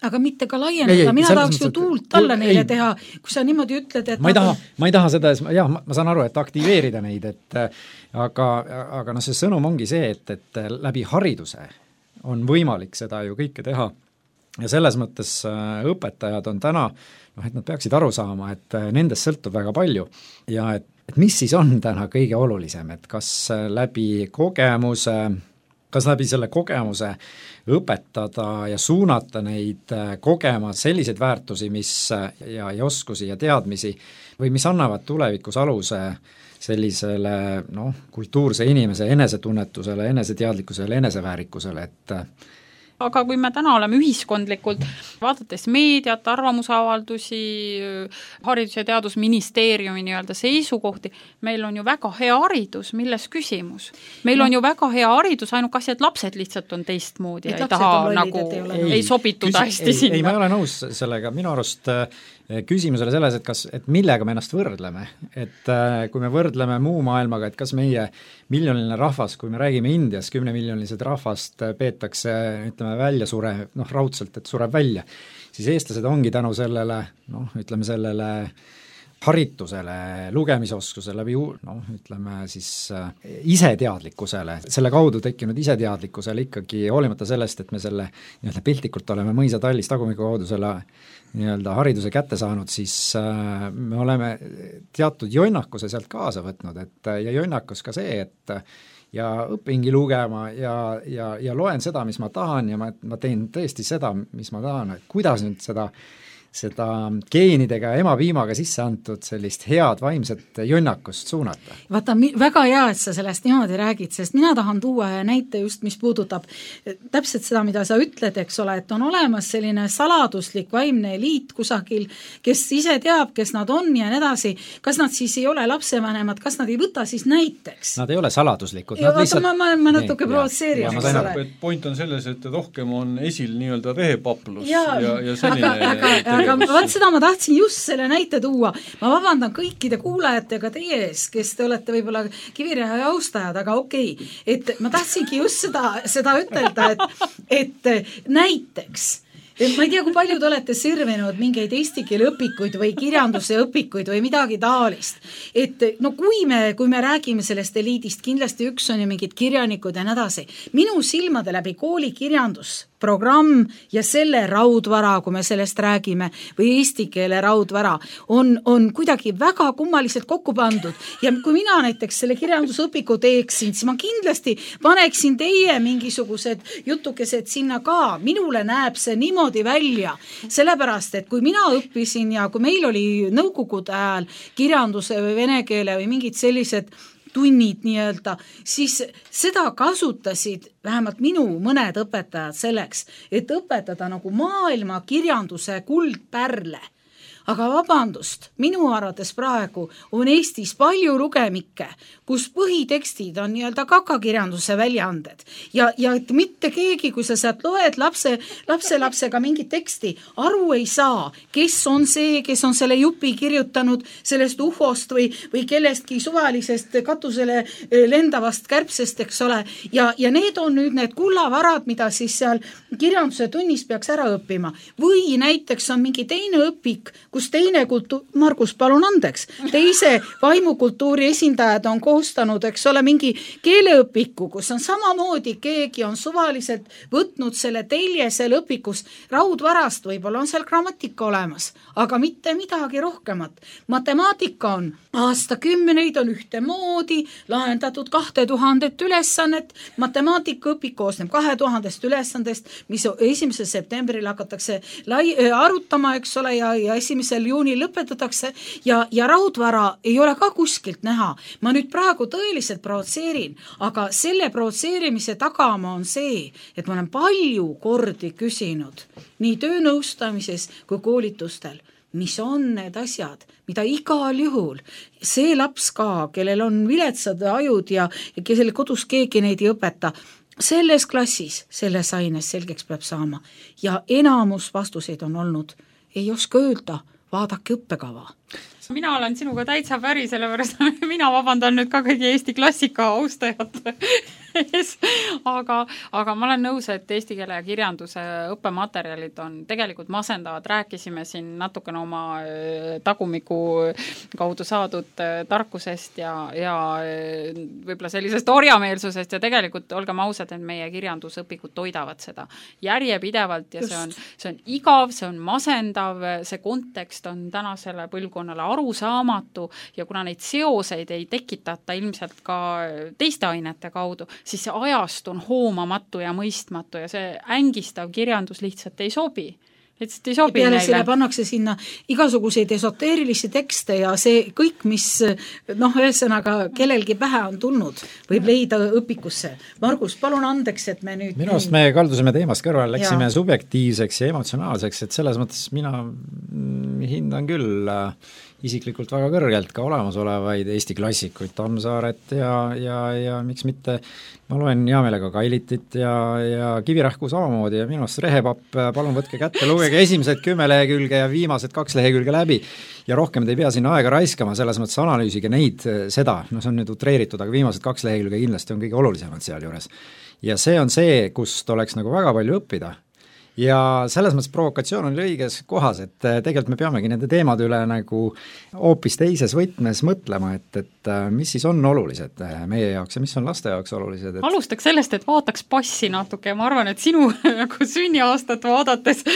Aga mitte ka laiendada, mina tahaks ju tuult alla neile teha, kui sa niimoodi ütled, et ma ei taha seda, ma saan aru, et aktiveerida neid, aga see sõnum ongi see, et läbi hariduse on võimalik seda ju kõike teha. Ja selles mõttes õpetajad on täna, et nad peaksid aru saama, et nendest sõltub väga palju ja et mis siis on täna kõige olulisem, et kas läbi selle kogemuse õpetada ja suunata neid kogema selliseid väärtusi, ja oskusi ja teadmisi või mis annavad tulevikus aluse sellisele kultuurse inimese enesetunnetusele, eneseteadlikkusele, eneseväärikusele, et aga kui me täna oleme ühiskondlikult, vaadates meediat, arvamusavaldusi, haridus- ja teadusministeeriumi nii-öelda seisukohti, meil on ju väga hea haridus, milles küsimus? Meil on ju väga hea haridus, ainult asi, et lapsed lihtsalt on teistmoodi ja ei taha ei sobituda hästi sinna. Ei, ma ei ole nõus sellega, minu arust küsimus oli selles, et millega me ennast võrdleme, et kui me võrdleme muu maailmaga, et kas meie miljoniline rahvas, kui me räägime Indias, 10-miljonilised rahvast peetakse, ütleme, välja raudselt, et sureb välja, siis eestlased ongi tänu sellele, ütleme sellele haritusele, lugemisoskusele, ütleme siis iseteadlikkusele, selle kaudu tekkinud iseteadlikkusele ikkagi, hoolimata sellest, et me selle nii-öelda piltlikult oleme mõisatallis tagumiku kaudu selle nii-öelda hariduse kätte saanud, siis me oleme teatud jonnakuse sealt kaasa võtnud, ja jonnakus ka see, et ja õpingi lugema ja loen seda, mis ma tahan ja ma teen tõesti seda, mis ma tahan, et kuidas nüüd seda geenidega ja emapiimaga sisse antud sellist head vaimset jonnakust suunata. Vaata, väga hea, et sa sellest niimoodi räägid, sest mina tahan tuua näite just, mis puudutab täpselt seda, mida sa ütled, eks ole, et on olemas selline saladuslik vaimne eliit kusagil, kes ise teab, kes nad on ja nii edasi. Kas nad siis ei ole lapsevanemad, kas nad ei võta siis näiteks? Nad ei ole saladuslikud. Ma natuke provotseerin. Point on selles, et rohkem on esil nii-öelda rehepaplus ja selline aga vaat seda ma tahtsin just selle näite tuua. Ma vabandan kõikide kuulajatega teie ees, kes te olete võib-olla Kivirähi austajad, aga okei. Et ma tahtsingi just seda ütelda, et näiteks ma ei tea, kui palju te olete sirvinud mingeid eesti keele õpikuid või kirjanduse õpikuid või midagi taolist. Et kui me räägime sellest eliidist, kindlasti üks on ju mingid kirjanikud ja nii edasi. Minu silmade läbi kooli kirjandusprogramm ja selle raudvara, kui me sellest räägime, või eesti keele raudvara, on kuidagi väga kummaliselt kokku pandud. Ja kui mina näiteks selle kirjandusõpiku teeksin, siis ma kindlasti paneksin teie mingisugused jutukesed sinna ka. Minule näeb see niimoodi välja, sellepärast, et kui mina õppisin ja kui meil oli nõukogude ajal kirjanduse või vene keele või mingid sellised tunnid nii-öelda, siis seda kasutasid vähemalt minu mõned õpetajad selleks, et õpetada nagu maailma kirjanduse kuldpärle. Aga vabandust, minu arvates praegu on Eestis palju lugemikke, kus põhitekstid on nii-öelda kakakirjanduse väljaanded. Ja et mitte keegi, kui sa sealt loed lapselapsega mingit teksti, aru ei saa, kes on see, kes on selle jupi kirjutanud sellest ufost või kellestki suvalisest katusele lendavast kärbsest, eks ole. Ja need on nüüd need kullavarad, mida siis seal kirjanduse tunnis peaks ära õppima. Või näiteks on mingi teine õpik, kus teine Margus, palun andeks, teise vaimukultuuri esindajad on koostanud, eks ole, mingi keeleõpiku, kus on samamoodi, keegi on suvaliselt võtnud selle telje seal õpikus raudvarast, võib-olla on seal grammatika olemas, aga mitte midagi rohkemat. Matemaatika on aastakümneid on ühtemoodi lahendatud 2000 ülesannet, matemaatikaõpik koosneb 2000 ülesandest, mis 1. septembril hakatakse arutama, eks ole, ja 1. juunil lõpetatakse ja raudvara ei ole ka kuskilt näha. Ma nüüd praegu tõeliselt provotseerin, aga selle provotseerimise tagama on see, et ma olen palju kordi küsinud nii töönõustamises kui koolitustel, mis on need asjad, mida igal juhul see laps ka, kellel on viletsad ajud ja kellel kodus keegi neid ei õpeta, selles klassis, selles aines selgeks peab saama. Ja enamus vastuseid on olnud, ei oska öelda, vaadake õppekava. Mina olen sinuga täitsa päri, sellepärast mina vabandan nüüd ka kõigi Eesti klassika austajate ees, aga ma olen nõus, et eesti keele ja kirjanduse õppematerjalid on tegelikult masendavad. Rääkisime siin natukene oma tagumiku kaudu saadud tarkusest ja võib-olla sellisest orjameelsusest ja tegelikult olgem ausad, et meie kirjandusõpikud toidavad seda järjepidevalt ja see on igav, see on masendav, see kontekst on tänasele põlvkonnale arusaamatu ja kuna neid seoseid ei tekitata ilmselt ka teiste ainete kaudu, siis see ajast on hoomamatu ja mõistmatu ja see ängistav kirjandus lihtsalt ei sobi. Lihtsalt ei sobi peale neile. Selle pannakse sinna igasuguseid esoteerilisi tekste ja see kõik, mis ühesõnaga kellelgi pähe on tulnud, võib leida õpikusse. Margus, palun andeks, et me nüüd... Minu arust me kaldusime teemast kõrval, läksime subjektiivseks ja emotsionaalseks, et selles mõttes mina hindan küll isiklikult väga kõrgelt ka olemasolevaid Eesti klassikuid, Tammsaaret ja miks mitte, ma loen hea meelega Kailitit ja Kivirähku samamoodi ja minu arust Rehepapp, palun võtke kätte, lugege esimesed 10 lehekülge ja viimased 2 lehekülge läbi ja rohkem te ei pea sinna aega raiskama, selles mõttes analüüsige neid, seda, no see on nüüd utreeritud, aga viimased 2 lehekülge kindlasti on kõige olulisemad seal juures. Ja see on see, kust oleks nagu väga palju õppida. Ja selles mõttes provokatsioon on õiges kohas, et tegelikult me peamegi nende teemade üle nagu hoopis teises võtmes mõtlema, et mis siis on olulised meie jaoks ja mis on laste jaoks olulised. Alustaks sellest, et vaataks passi natuke ja ma arvan, et sinu nagu sünniaastat vaadates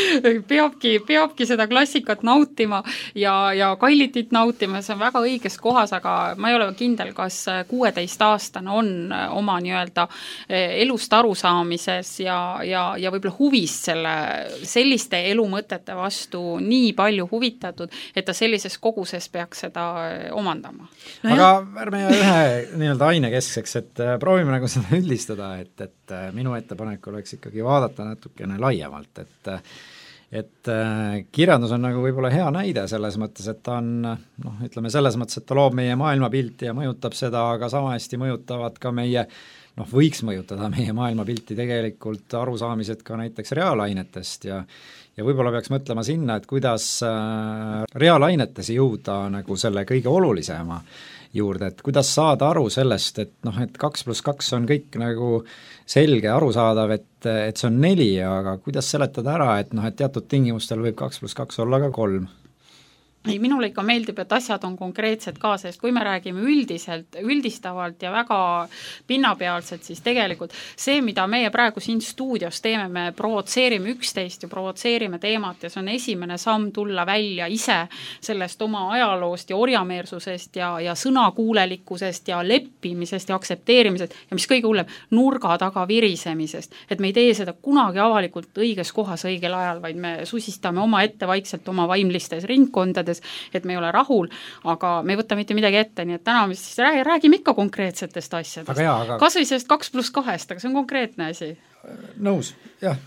peabki seda klassikat nautima ja Kailitit nautima, see on väga õiges kohas, aga ma ei ole kindel, kas 16-aastane on oma nii-öelda elust arusaamises ja võib-olla huvis selliste elumõtete vastu nii palju huvitatud, et ta sellises koguses peaks seda omandama. No aga ärme ühe nii-öelda ainekeskseks, et proovime nagu seda üldistada, et minu ettepanek oleks ikkagi vaadata natukene laiemalt, et kirjandus on nagu võib-olla hea näide selles mõttes, et ta on, ütleme selles mõttes, et ta loob meie maailmapilti ja mõjutab seda, aga sama hästi mõjutavad ka meie võiks mõjutada meie maailmapilti tegelikult arusaamised ka näiteks reaalainetest ja võib-olla peaks mõtlema sinna, et kuidas reaalainetes jõuda nagu selle kõige olulisema juurde, et kuidas saada aru sellest, et 2+2 on kõik nagu selge, arusaadav, et see on 4, aga kuidas seletada ära, et teatud tingimustel võib 2+2 olla ka 3. Ei, minule ikka meeldib, et asjad on konkreetsed ka, sest kui me räägime üldistavalt ja väga pinnapealselt, siis tegelikult see, mida meie praegu siin stuudios teeme, me provotseerime üksteist ja provotseerime teemat ja see on esimene samm tulla välja ise sellest oma ajaloost ja orjameersusest ja sõnakuulelikkusest ja leppimisest ja aktsepteerimisest ja mis kõige hullem, nurga taga virisemisest. Et me ei tee seda kunagi avalikult õiges kohas õigel ajal, vaid me susistame oma ette vaikselt oma vaimlistes ringkondades, et me ei ole rahul, aga me ei võta mitte midagi ette, nii et täna me siis räägime ikka konkreetsetest asjadest. Kas või sellest 2+2, aga see on konkreetne asi. Nõus, jah.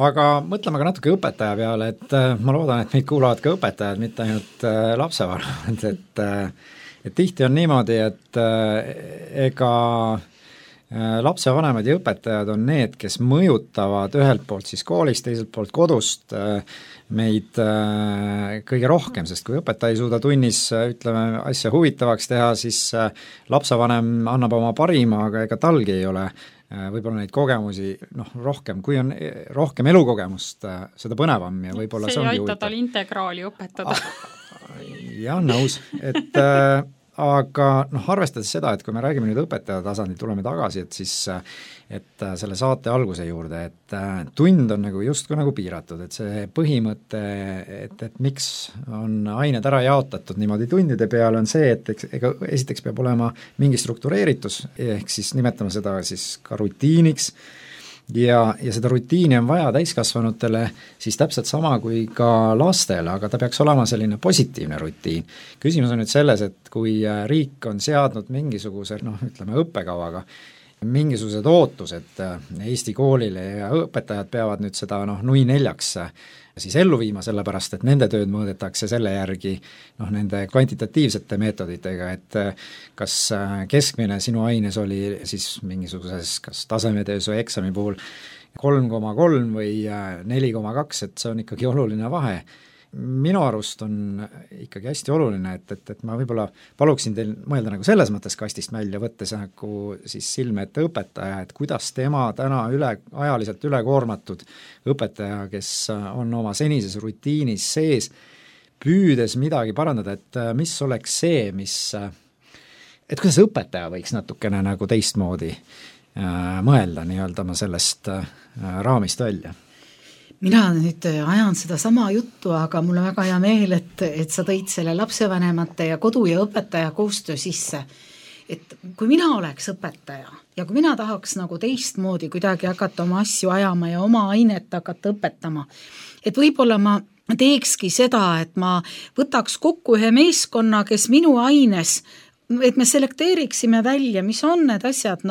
Aga mõtleme ka natuke õpetaja peale, et ma loodan, et meid kuulavad ka õpetajad, mitte ainult lapsevanemad, et tihti on niimoodi, et ega lapsevanemad ja õpetajad on need, kes mõjutavad ühelt poolt siis koolist, teiselt poolt kodust meid kõige rohkem, sest kui õpetaja ei suuda tunnis, ütleme, asja huvitavaks teha, siis lapsevanem annab oma parima, aga ega talgi ei ole võib-olla neid kogemusi rohkem, kui on rohkem elukogemust, seda põnevam ja võib-olla see ongi huvitav. See ei aita tal integraali õpetada. Jah, nõus, et aga arvestades seda, et kui me räägime nüüd õpetaja tasandil, tuleme tagasi, et siis et selle saate alguse juurde, et tund on nagu justkui nagu piiratud, et see põhimõte, et miks on ained ära jaotatud niimoodi tundide peale, on see, et ega esiteks peab olema mingi struktureeritus, ehk siis nimetame seda siis ka rutiiniks, ja seda rutiini on vaja täiskasvanutele siis täpselt sama kui ka lastele, aga ta peaks olema selline positiivne rutiin. Küsimus on nüüd selles, et kui riik on seadnud mingisuguse, ütleme õppekavaga, mingisugused ootused Eesti koolile ja õpetajad peavad nüüd seda nui 4 siis ellu viima, sellepärast et nende tööd mõõdetakse selle järgi nende kvantitatiivsete meetoditega, et kas keskmine sinu aines oli siis mingisuguses kas tasemetöös või eksami puhul 3,3 või 4,2, et see on ikkagi oluline vahe. Minu arust on ikkagi hästi oluline, et ma võib-olla paluksin teil mõelda nagu selles mõttes kastist välja, võttes nagu siis silme ette õpetaja, et kuidas tema täna ajaliselt ülekoormatud õpetaja, kes on oma senises rutiinis sees, püüdes midagi parandada, et mis oleks see, et kuidas õpetaja võiks natukene nagu teistmoodi mõelda nii-öelda sellest raamist välja. Mina nüüd ajan seda sama juttu, aga mul on väga hea meel, et sa tõid selle lapsevanemate ja kodu ja õpetaja koostöö sisse. Et kui mina oleks õpetaja ja kui mina tahaks nagu teistmoodi kuidagi hakata oma asju ajama ja oma ainet hakata õpetama, et võib-olla ma teekski seda, et ma võtaks kokku ühe meeskonna, kes minu aines, et me selekteeriksime välja, mis on need asjad,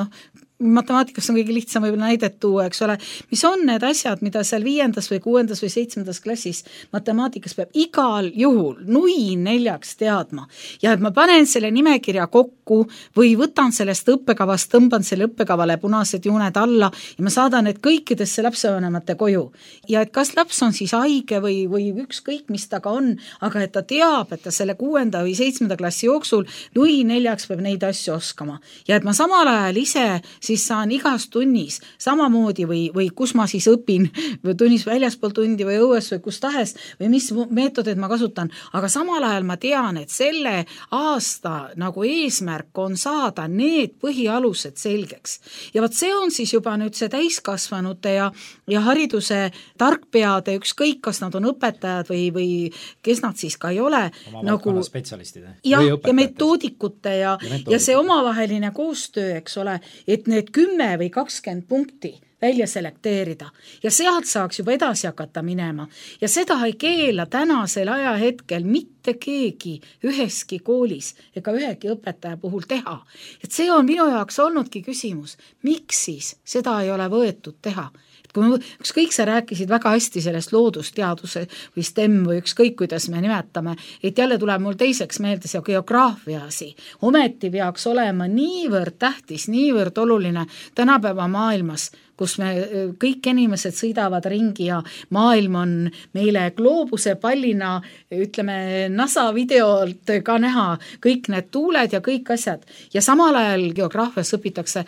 matemaatikas on kõige lihtsam võib-olla näidet tuua, eks ole, mis on need asjad, mida seal 5. või 6. või 7. klassis matemaatikas peab igal juhul nui 4 teadma ja et ma panen selle nimekirja kokku või võtan sellest õppekavast, tõmban selle õppekavale punased jooned alla ja ma saadan need kõikidesse lapsevanemate koju. Ja et kas laps on siis haige või ükskõik, mis ta ka on, aga et ta teab, et ta selle 6. või 7. klassi jooksul nui 4 peab neid asju oskama. Ja et ma samal ajal ise siis saan igas tunnis samamoodi või kus ma siis õpin või tunnis väljaspool tundi või õues või kus tahes või mis meetodid ma kasutan, aga samal ajal ma tean, et selle aasta nagu eesmärk on saada need põhialused selgeks. Ja võt see on siis juba nüüd see täiskasvanute ja hariduse tarkpeade, ükskõik, kas nad on õpetajad või kes nad siis ka ei ole. Oma valdkonna spetsialistid. Ja metoodikute ja see omavaheline koostöö, eks ole, et need 10 või 20 punkti välja selekteerida ja sealt saaks juba edasi hakata minema. Ja seda ei keela tänasel ajahetkel mitte keegi üheski koolis ega ühegi õpetaja puhul teha. Et see on minu jaoks olnudki küsimus, miks siis seda ei ole võetud teha. Kui ükskõik sa rääkisid väga hästi sellest loodusteaduse või STEM või ükskõik, kuidas me nimetame, et jälle tuleb mul teiseks meelde see geograafiasi. Ometi peaks olema niivõrd tähtis, niivõrd oluline tänapäeva maailmas, kus me kõik inimesed sõidavad ringi ja maailm on meile gloobuse pallina, ütleme NASA videolt ka näha kõik need tuuled ja kõik asjad. Ja samal ajal geograafias õpitakse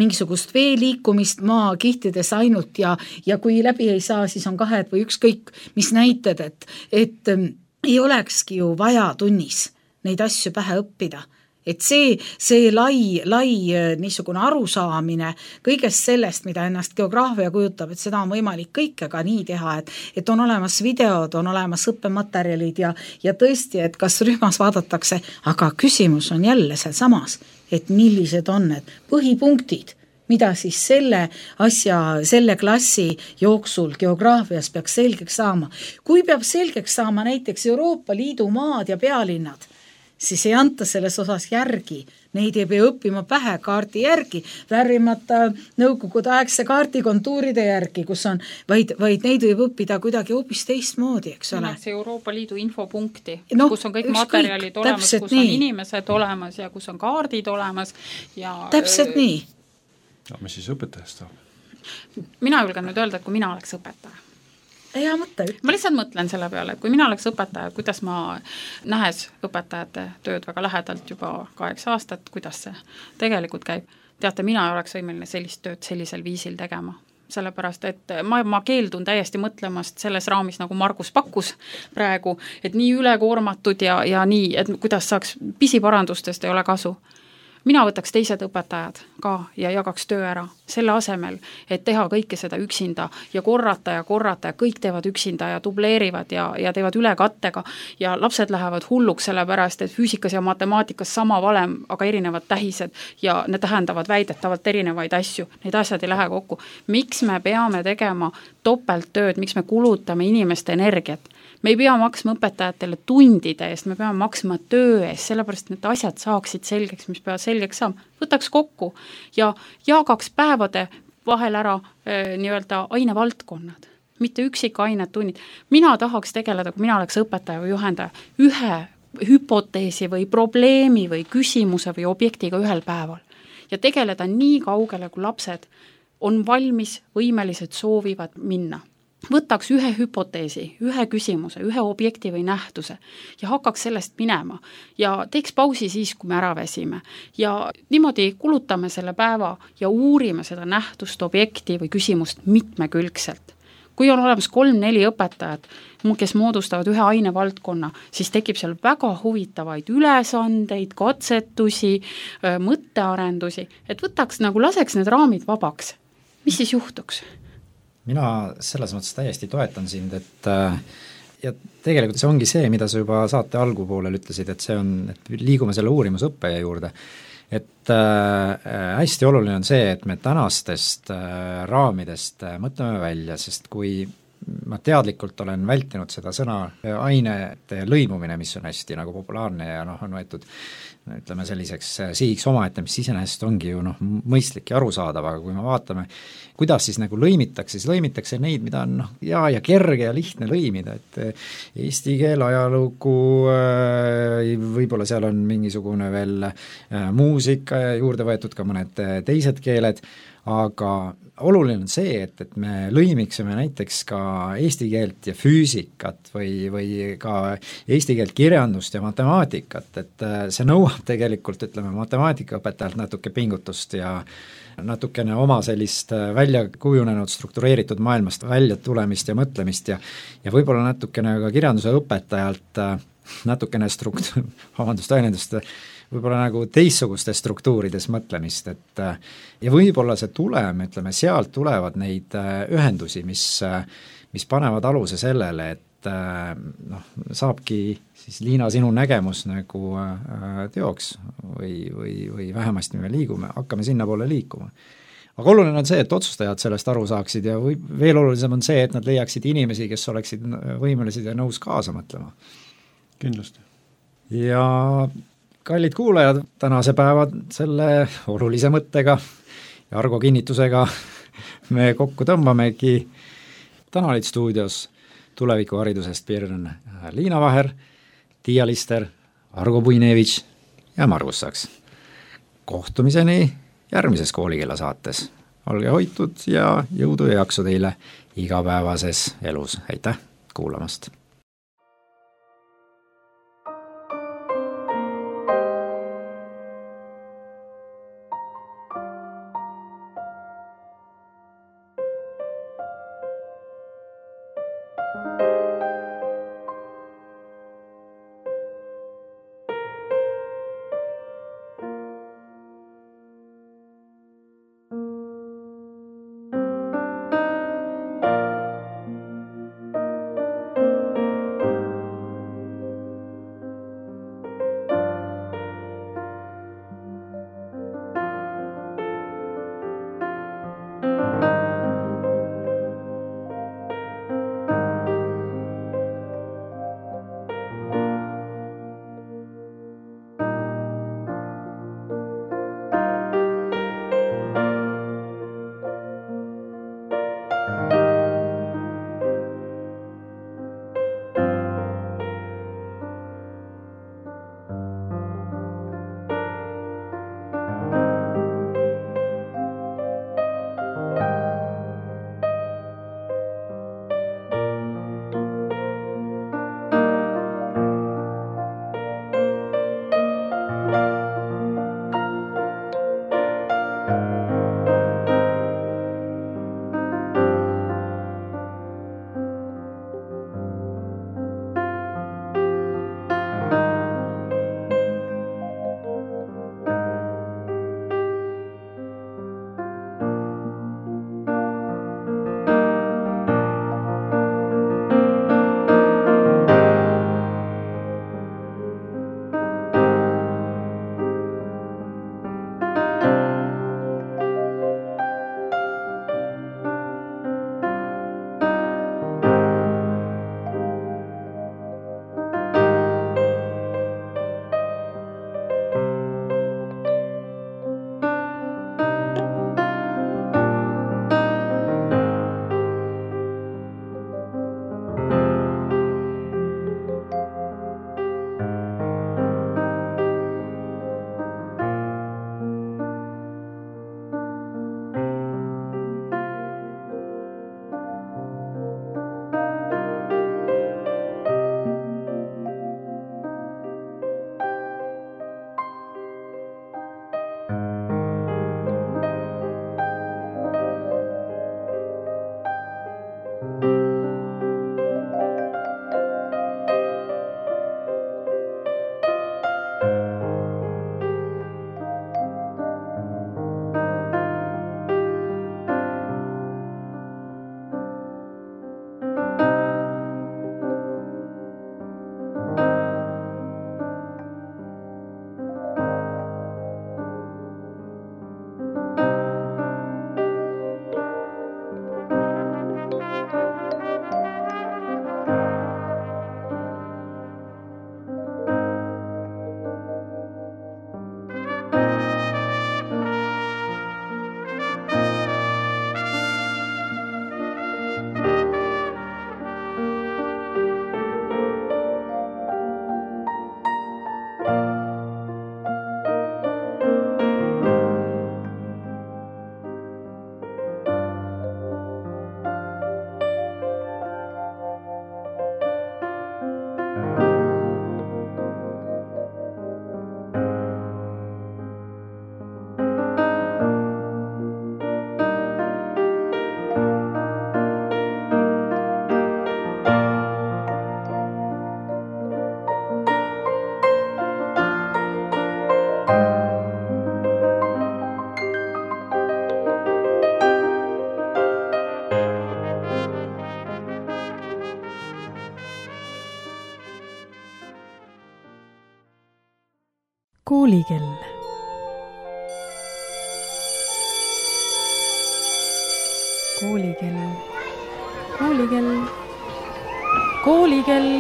mingisugust vee liikumist maakihtides ainult ja kui läbi ei saa, siis on kahed või ükskõik, mis näited, et ei olekski ju vaja tunnis neid asju pähe õppida. Et see lai niisugune arusaamine kõigest sellest, mida ennast geograafia kujutab, et seda on võimalik kõike ka nii teha, et on olemas videod, on olemas õppematerjalid ja tõesti, et kas rühmas vaadatakse, aga küsimus on jälle seal samas, et millised on need põhipunktid, mida siis selle klassi jooksul geograafias peaks selgeks saama. Kui peab selgeks saama näiteks Euroopa Liidu maad ja pealinnad, siis ei anta selles osas järgi. Neid ei pea õppima pähe kaardi järgi, värvimata nõukogude aegse kaardi kontuuride järgi, kus on, vaid neid võib õppida kuidagi hoopis teistmoodi, eks ole. See Euroopa Liidu infopunkti, kus on kõik materjalid olemas, kus on inimesed olemas ja kus on kaardid olemas. Ja täpselt nii. Ja mis siis õpetajast saab? Mina julgen nüüd öelda, et kui mina oleks õpetaja. Hea mõte. Ma lihtsalt mõtlen selle peale, et kui mina oleks õpetaja, kuidas ma nähes õpetajate tööd väga lähedalt juba 8 aastat, kuidas see tegelikult käib. Teate, mina ei oleks võimeline sellist tööd sellisel viisil tegema. Sellepärast, et ma keeldun täiesti mõtlemast selles raamis, nagu Margus pakkus praegu, et nii ülekoormatud ja nii, et kuidas saaks pisiparandustest ei ole kasu. Mina võtaks teised õpetajad ka ja jagaks töö ära selle asemel, et teha kõike seda üksinda ja korrata ja kõik teevad üksinda ja dubleerivad ja teevad ülekattega ja lapsed lähevad hulluks sellepärast, et füüsikas ja matemaatikas sama valem, aga erinevad tähised ja need tähendavad väidetavalt erinevaid asju. Need asjad ei lähe kokku. Miks me peame tegema topelttööd, miks me kulutame inimeste energiat? Me ei pea maksma õpetajatele tundide eest, me peame maksma töö eest, sellepärast need asjad saaksid selgeks, mis peavad selgeks saama. Võtaks kokku ja jagaks päevade vahel ära nii-öelda ainevaldkonnad, mitte üksikained tunnid. Mina tahaks tegeleda, kui mina oleks õpetaja või juhendaja, ühe hüpoteesi või probleemi või küsimuse või objektiga ühel päeval ja tegeleda nii kaugele, kui lapsed on valmis, võimelised, soovivad minna. Võtaks ühe hüpoteesi, ühe küsimuse, ühe objekti või nähtuse ja hakkaks sellest minema ja teeks pausi siis, kui me ära väsime ja niimoodi kulutame selle päeva ja uurime seda nähtust, objekti või küsimust mitmekülgselt. Kui on olemas 3-4 õpetajat, kes moodustavad ühe ainevaldkonna, siis tekib seal väga huvitavaid ülesandeid, katsetusi, mõttearendusi, et võtaks nagu laseks need raamid vabaks. Mis siis juhtuks? Mina selles mõttes täiesti toetan sind, et ja tegelikult see ongi see, mida sa juba saate algupoolel ütlesid, et see on, et liigume selle uurimusõppe juurde, et hästi oluline on see, et me tänastest raamidest mõtleme välja, sest kui ma teadlikult olen vältinud seda sõna ainete lõimumine, mis on hästi nagu populaarne ja on võetud ütleme selliseks sihiks omaette, mis iseenesest ongi ju mõistlik ja arusaadav, aga kui me vaatame, kuidas siis nagu lõimitakse, siis lõimitakse neid, mida on ja kerge ja lihtne lõimida, et eesti keel, ajalugu, võib-olla seal on mingisugune veel muusika ja juurde võetud ka mõned teised keeled, aga oluline on see, et me lõimiksime näiteks ka eesti keelt ja füüsikat või ka eesti keelt kirjandust ja matemaatikat, et see nõuab tegelikult, ütleme, matemaatikaõpetajalt natuke pingutust ja natukene oma sellist välja kujunenud struktureeritud maailmast välja tulemist ja mõtlemist ja võib-olla natukene ka kirjanduse õpetajalt natukene väljendust, võib-olla nagu teistsugustes struktuurides mõtlemist, et ja võib-olla see tulem, ütleme, sealt tulevad neid ühendusi, mis panevad aluse sellele, et saabki siis Liina sinu nägemus nagu teoks või vähemasti me hakkame sinnapoole liikuma. Aga oluline on see, et otsustajad sellest aru saaksid ja veel olulisem on see, et nad leiaksid inimesi, kes oleksid võimelised ja nõus kaasa mõtlema. Kindlasti. Ja kallid kuulajad, tänase päeva selle olulise mõttega ja Argo kinnitusega me kokku tõmbamegi. Täna olid stuudios tulevikuharidusest Pirn Liina Vaher, Tiia Lister, Argo Puinevitš ja Margus Saks. Kohtumiseni järgmises Koolikella saates. Olge hoitud ja jõudu ja jaksu teile igapäevases elus. Aitäh kuulamast! Koolikell. Koolikell. Koolikell. Koolikell.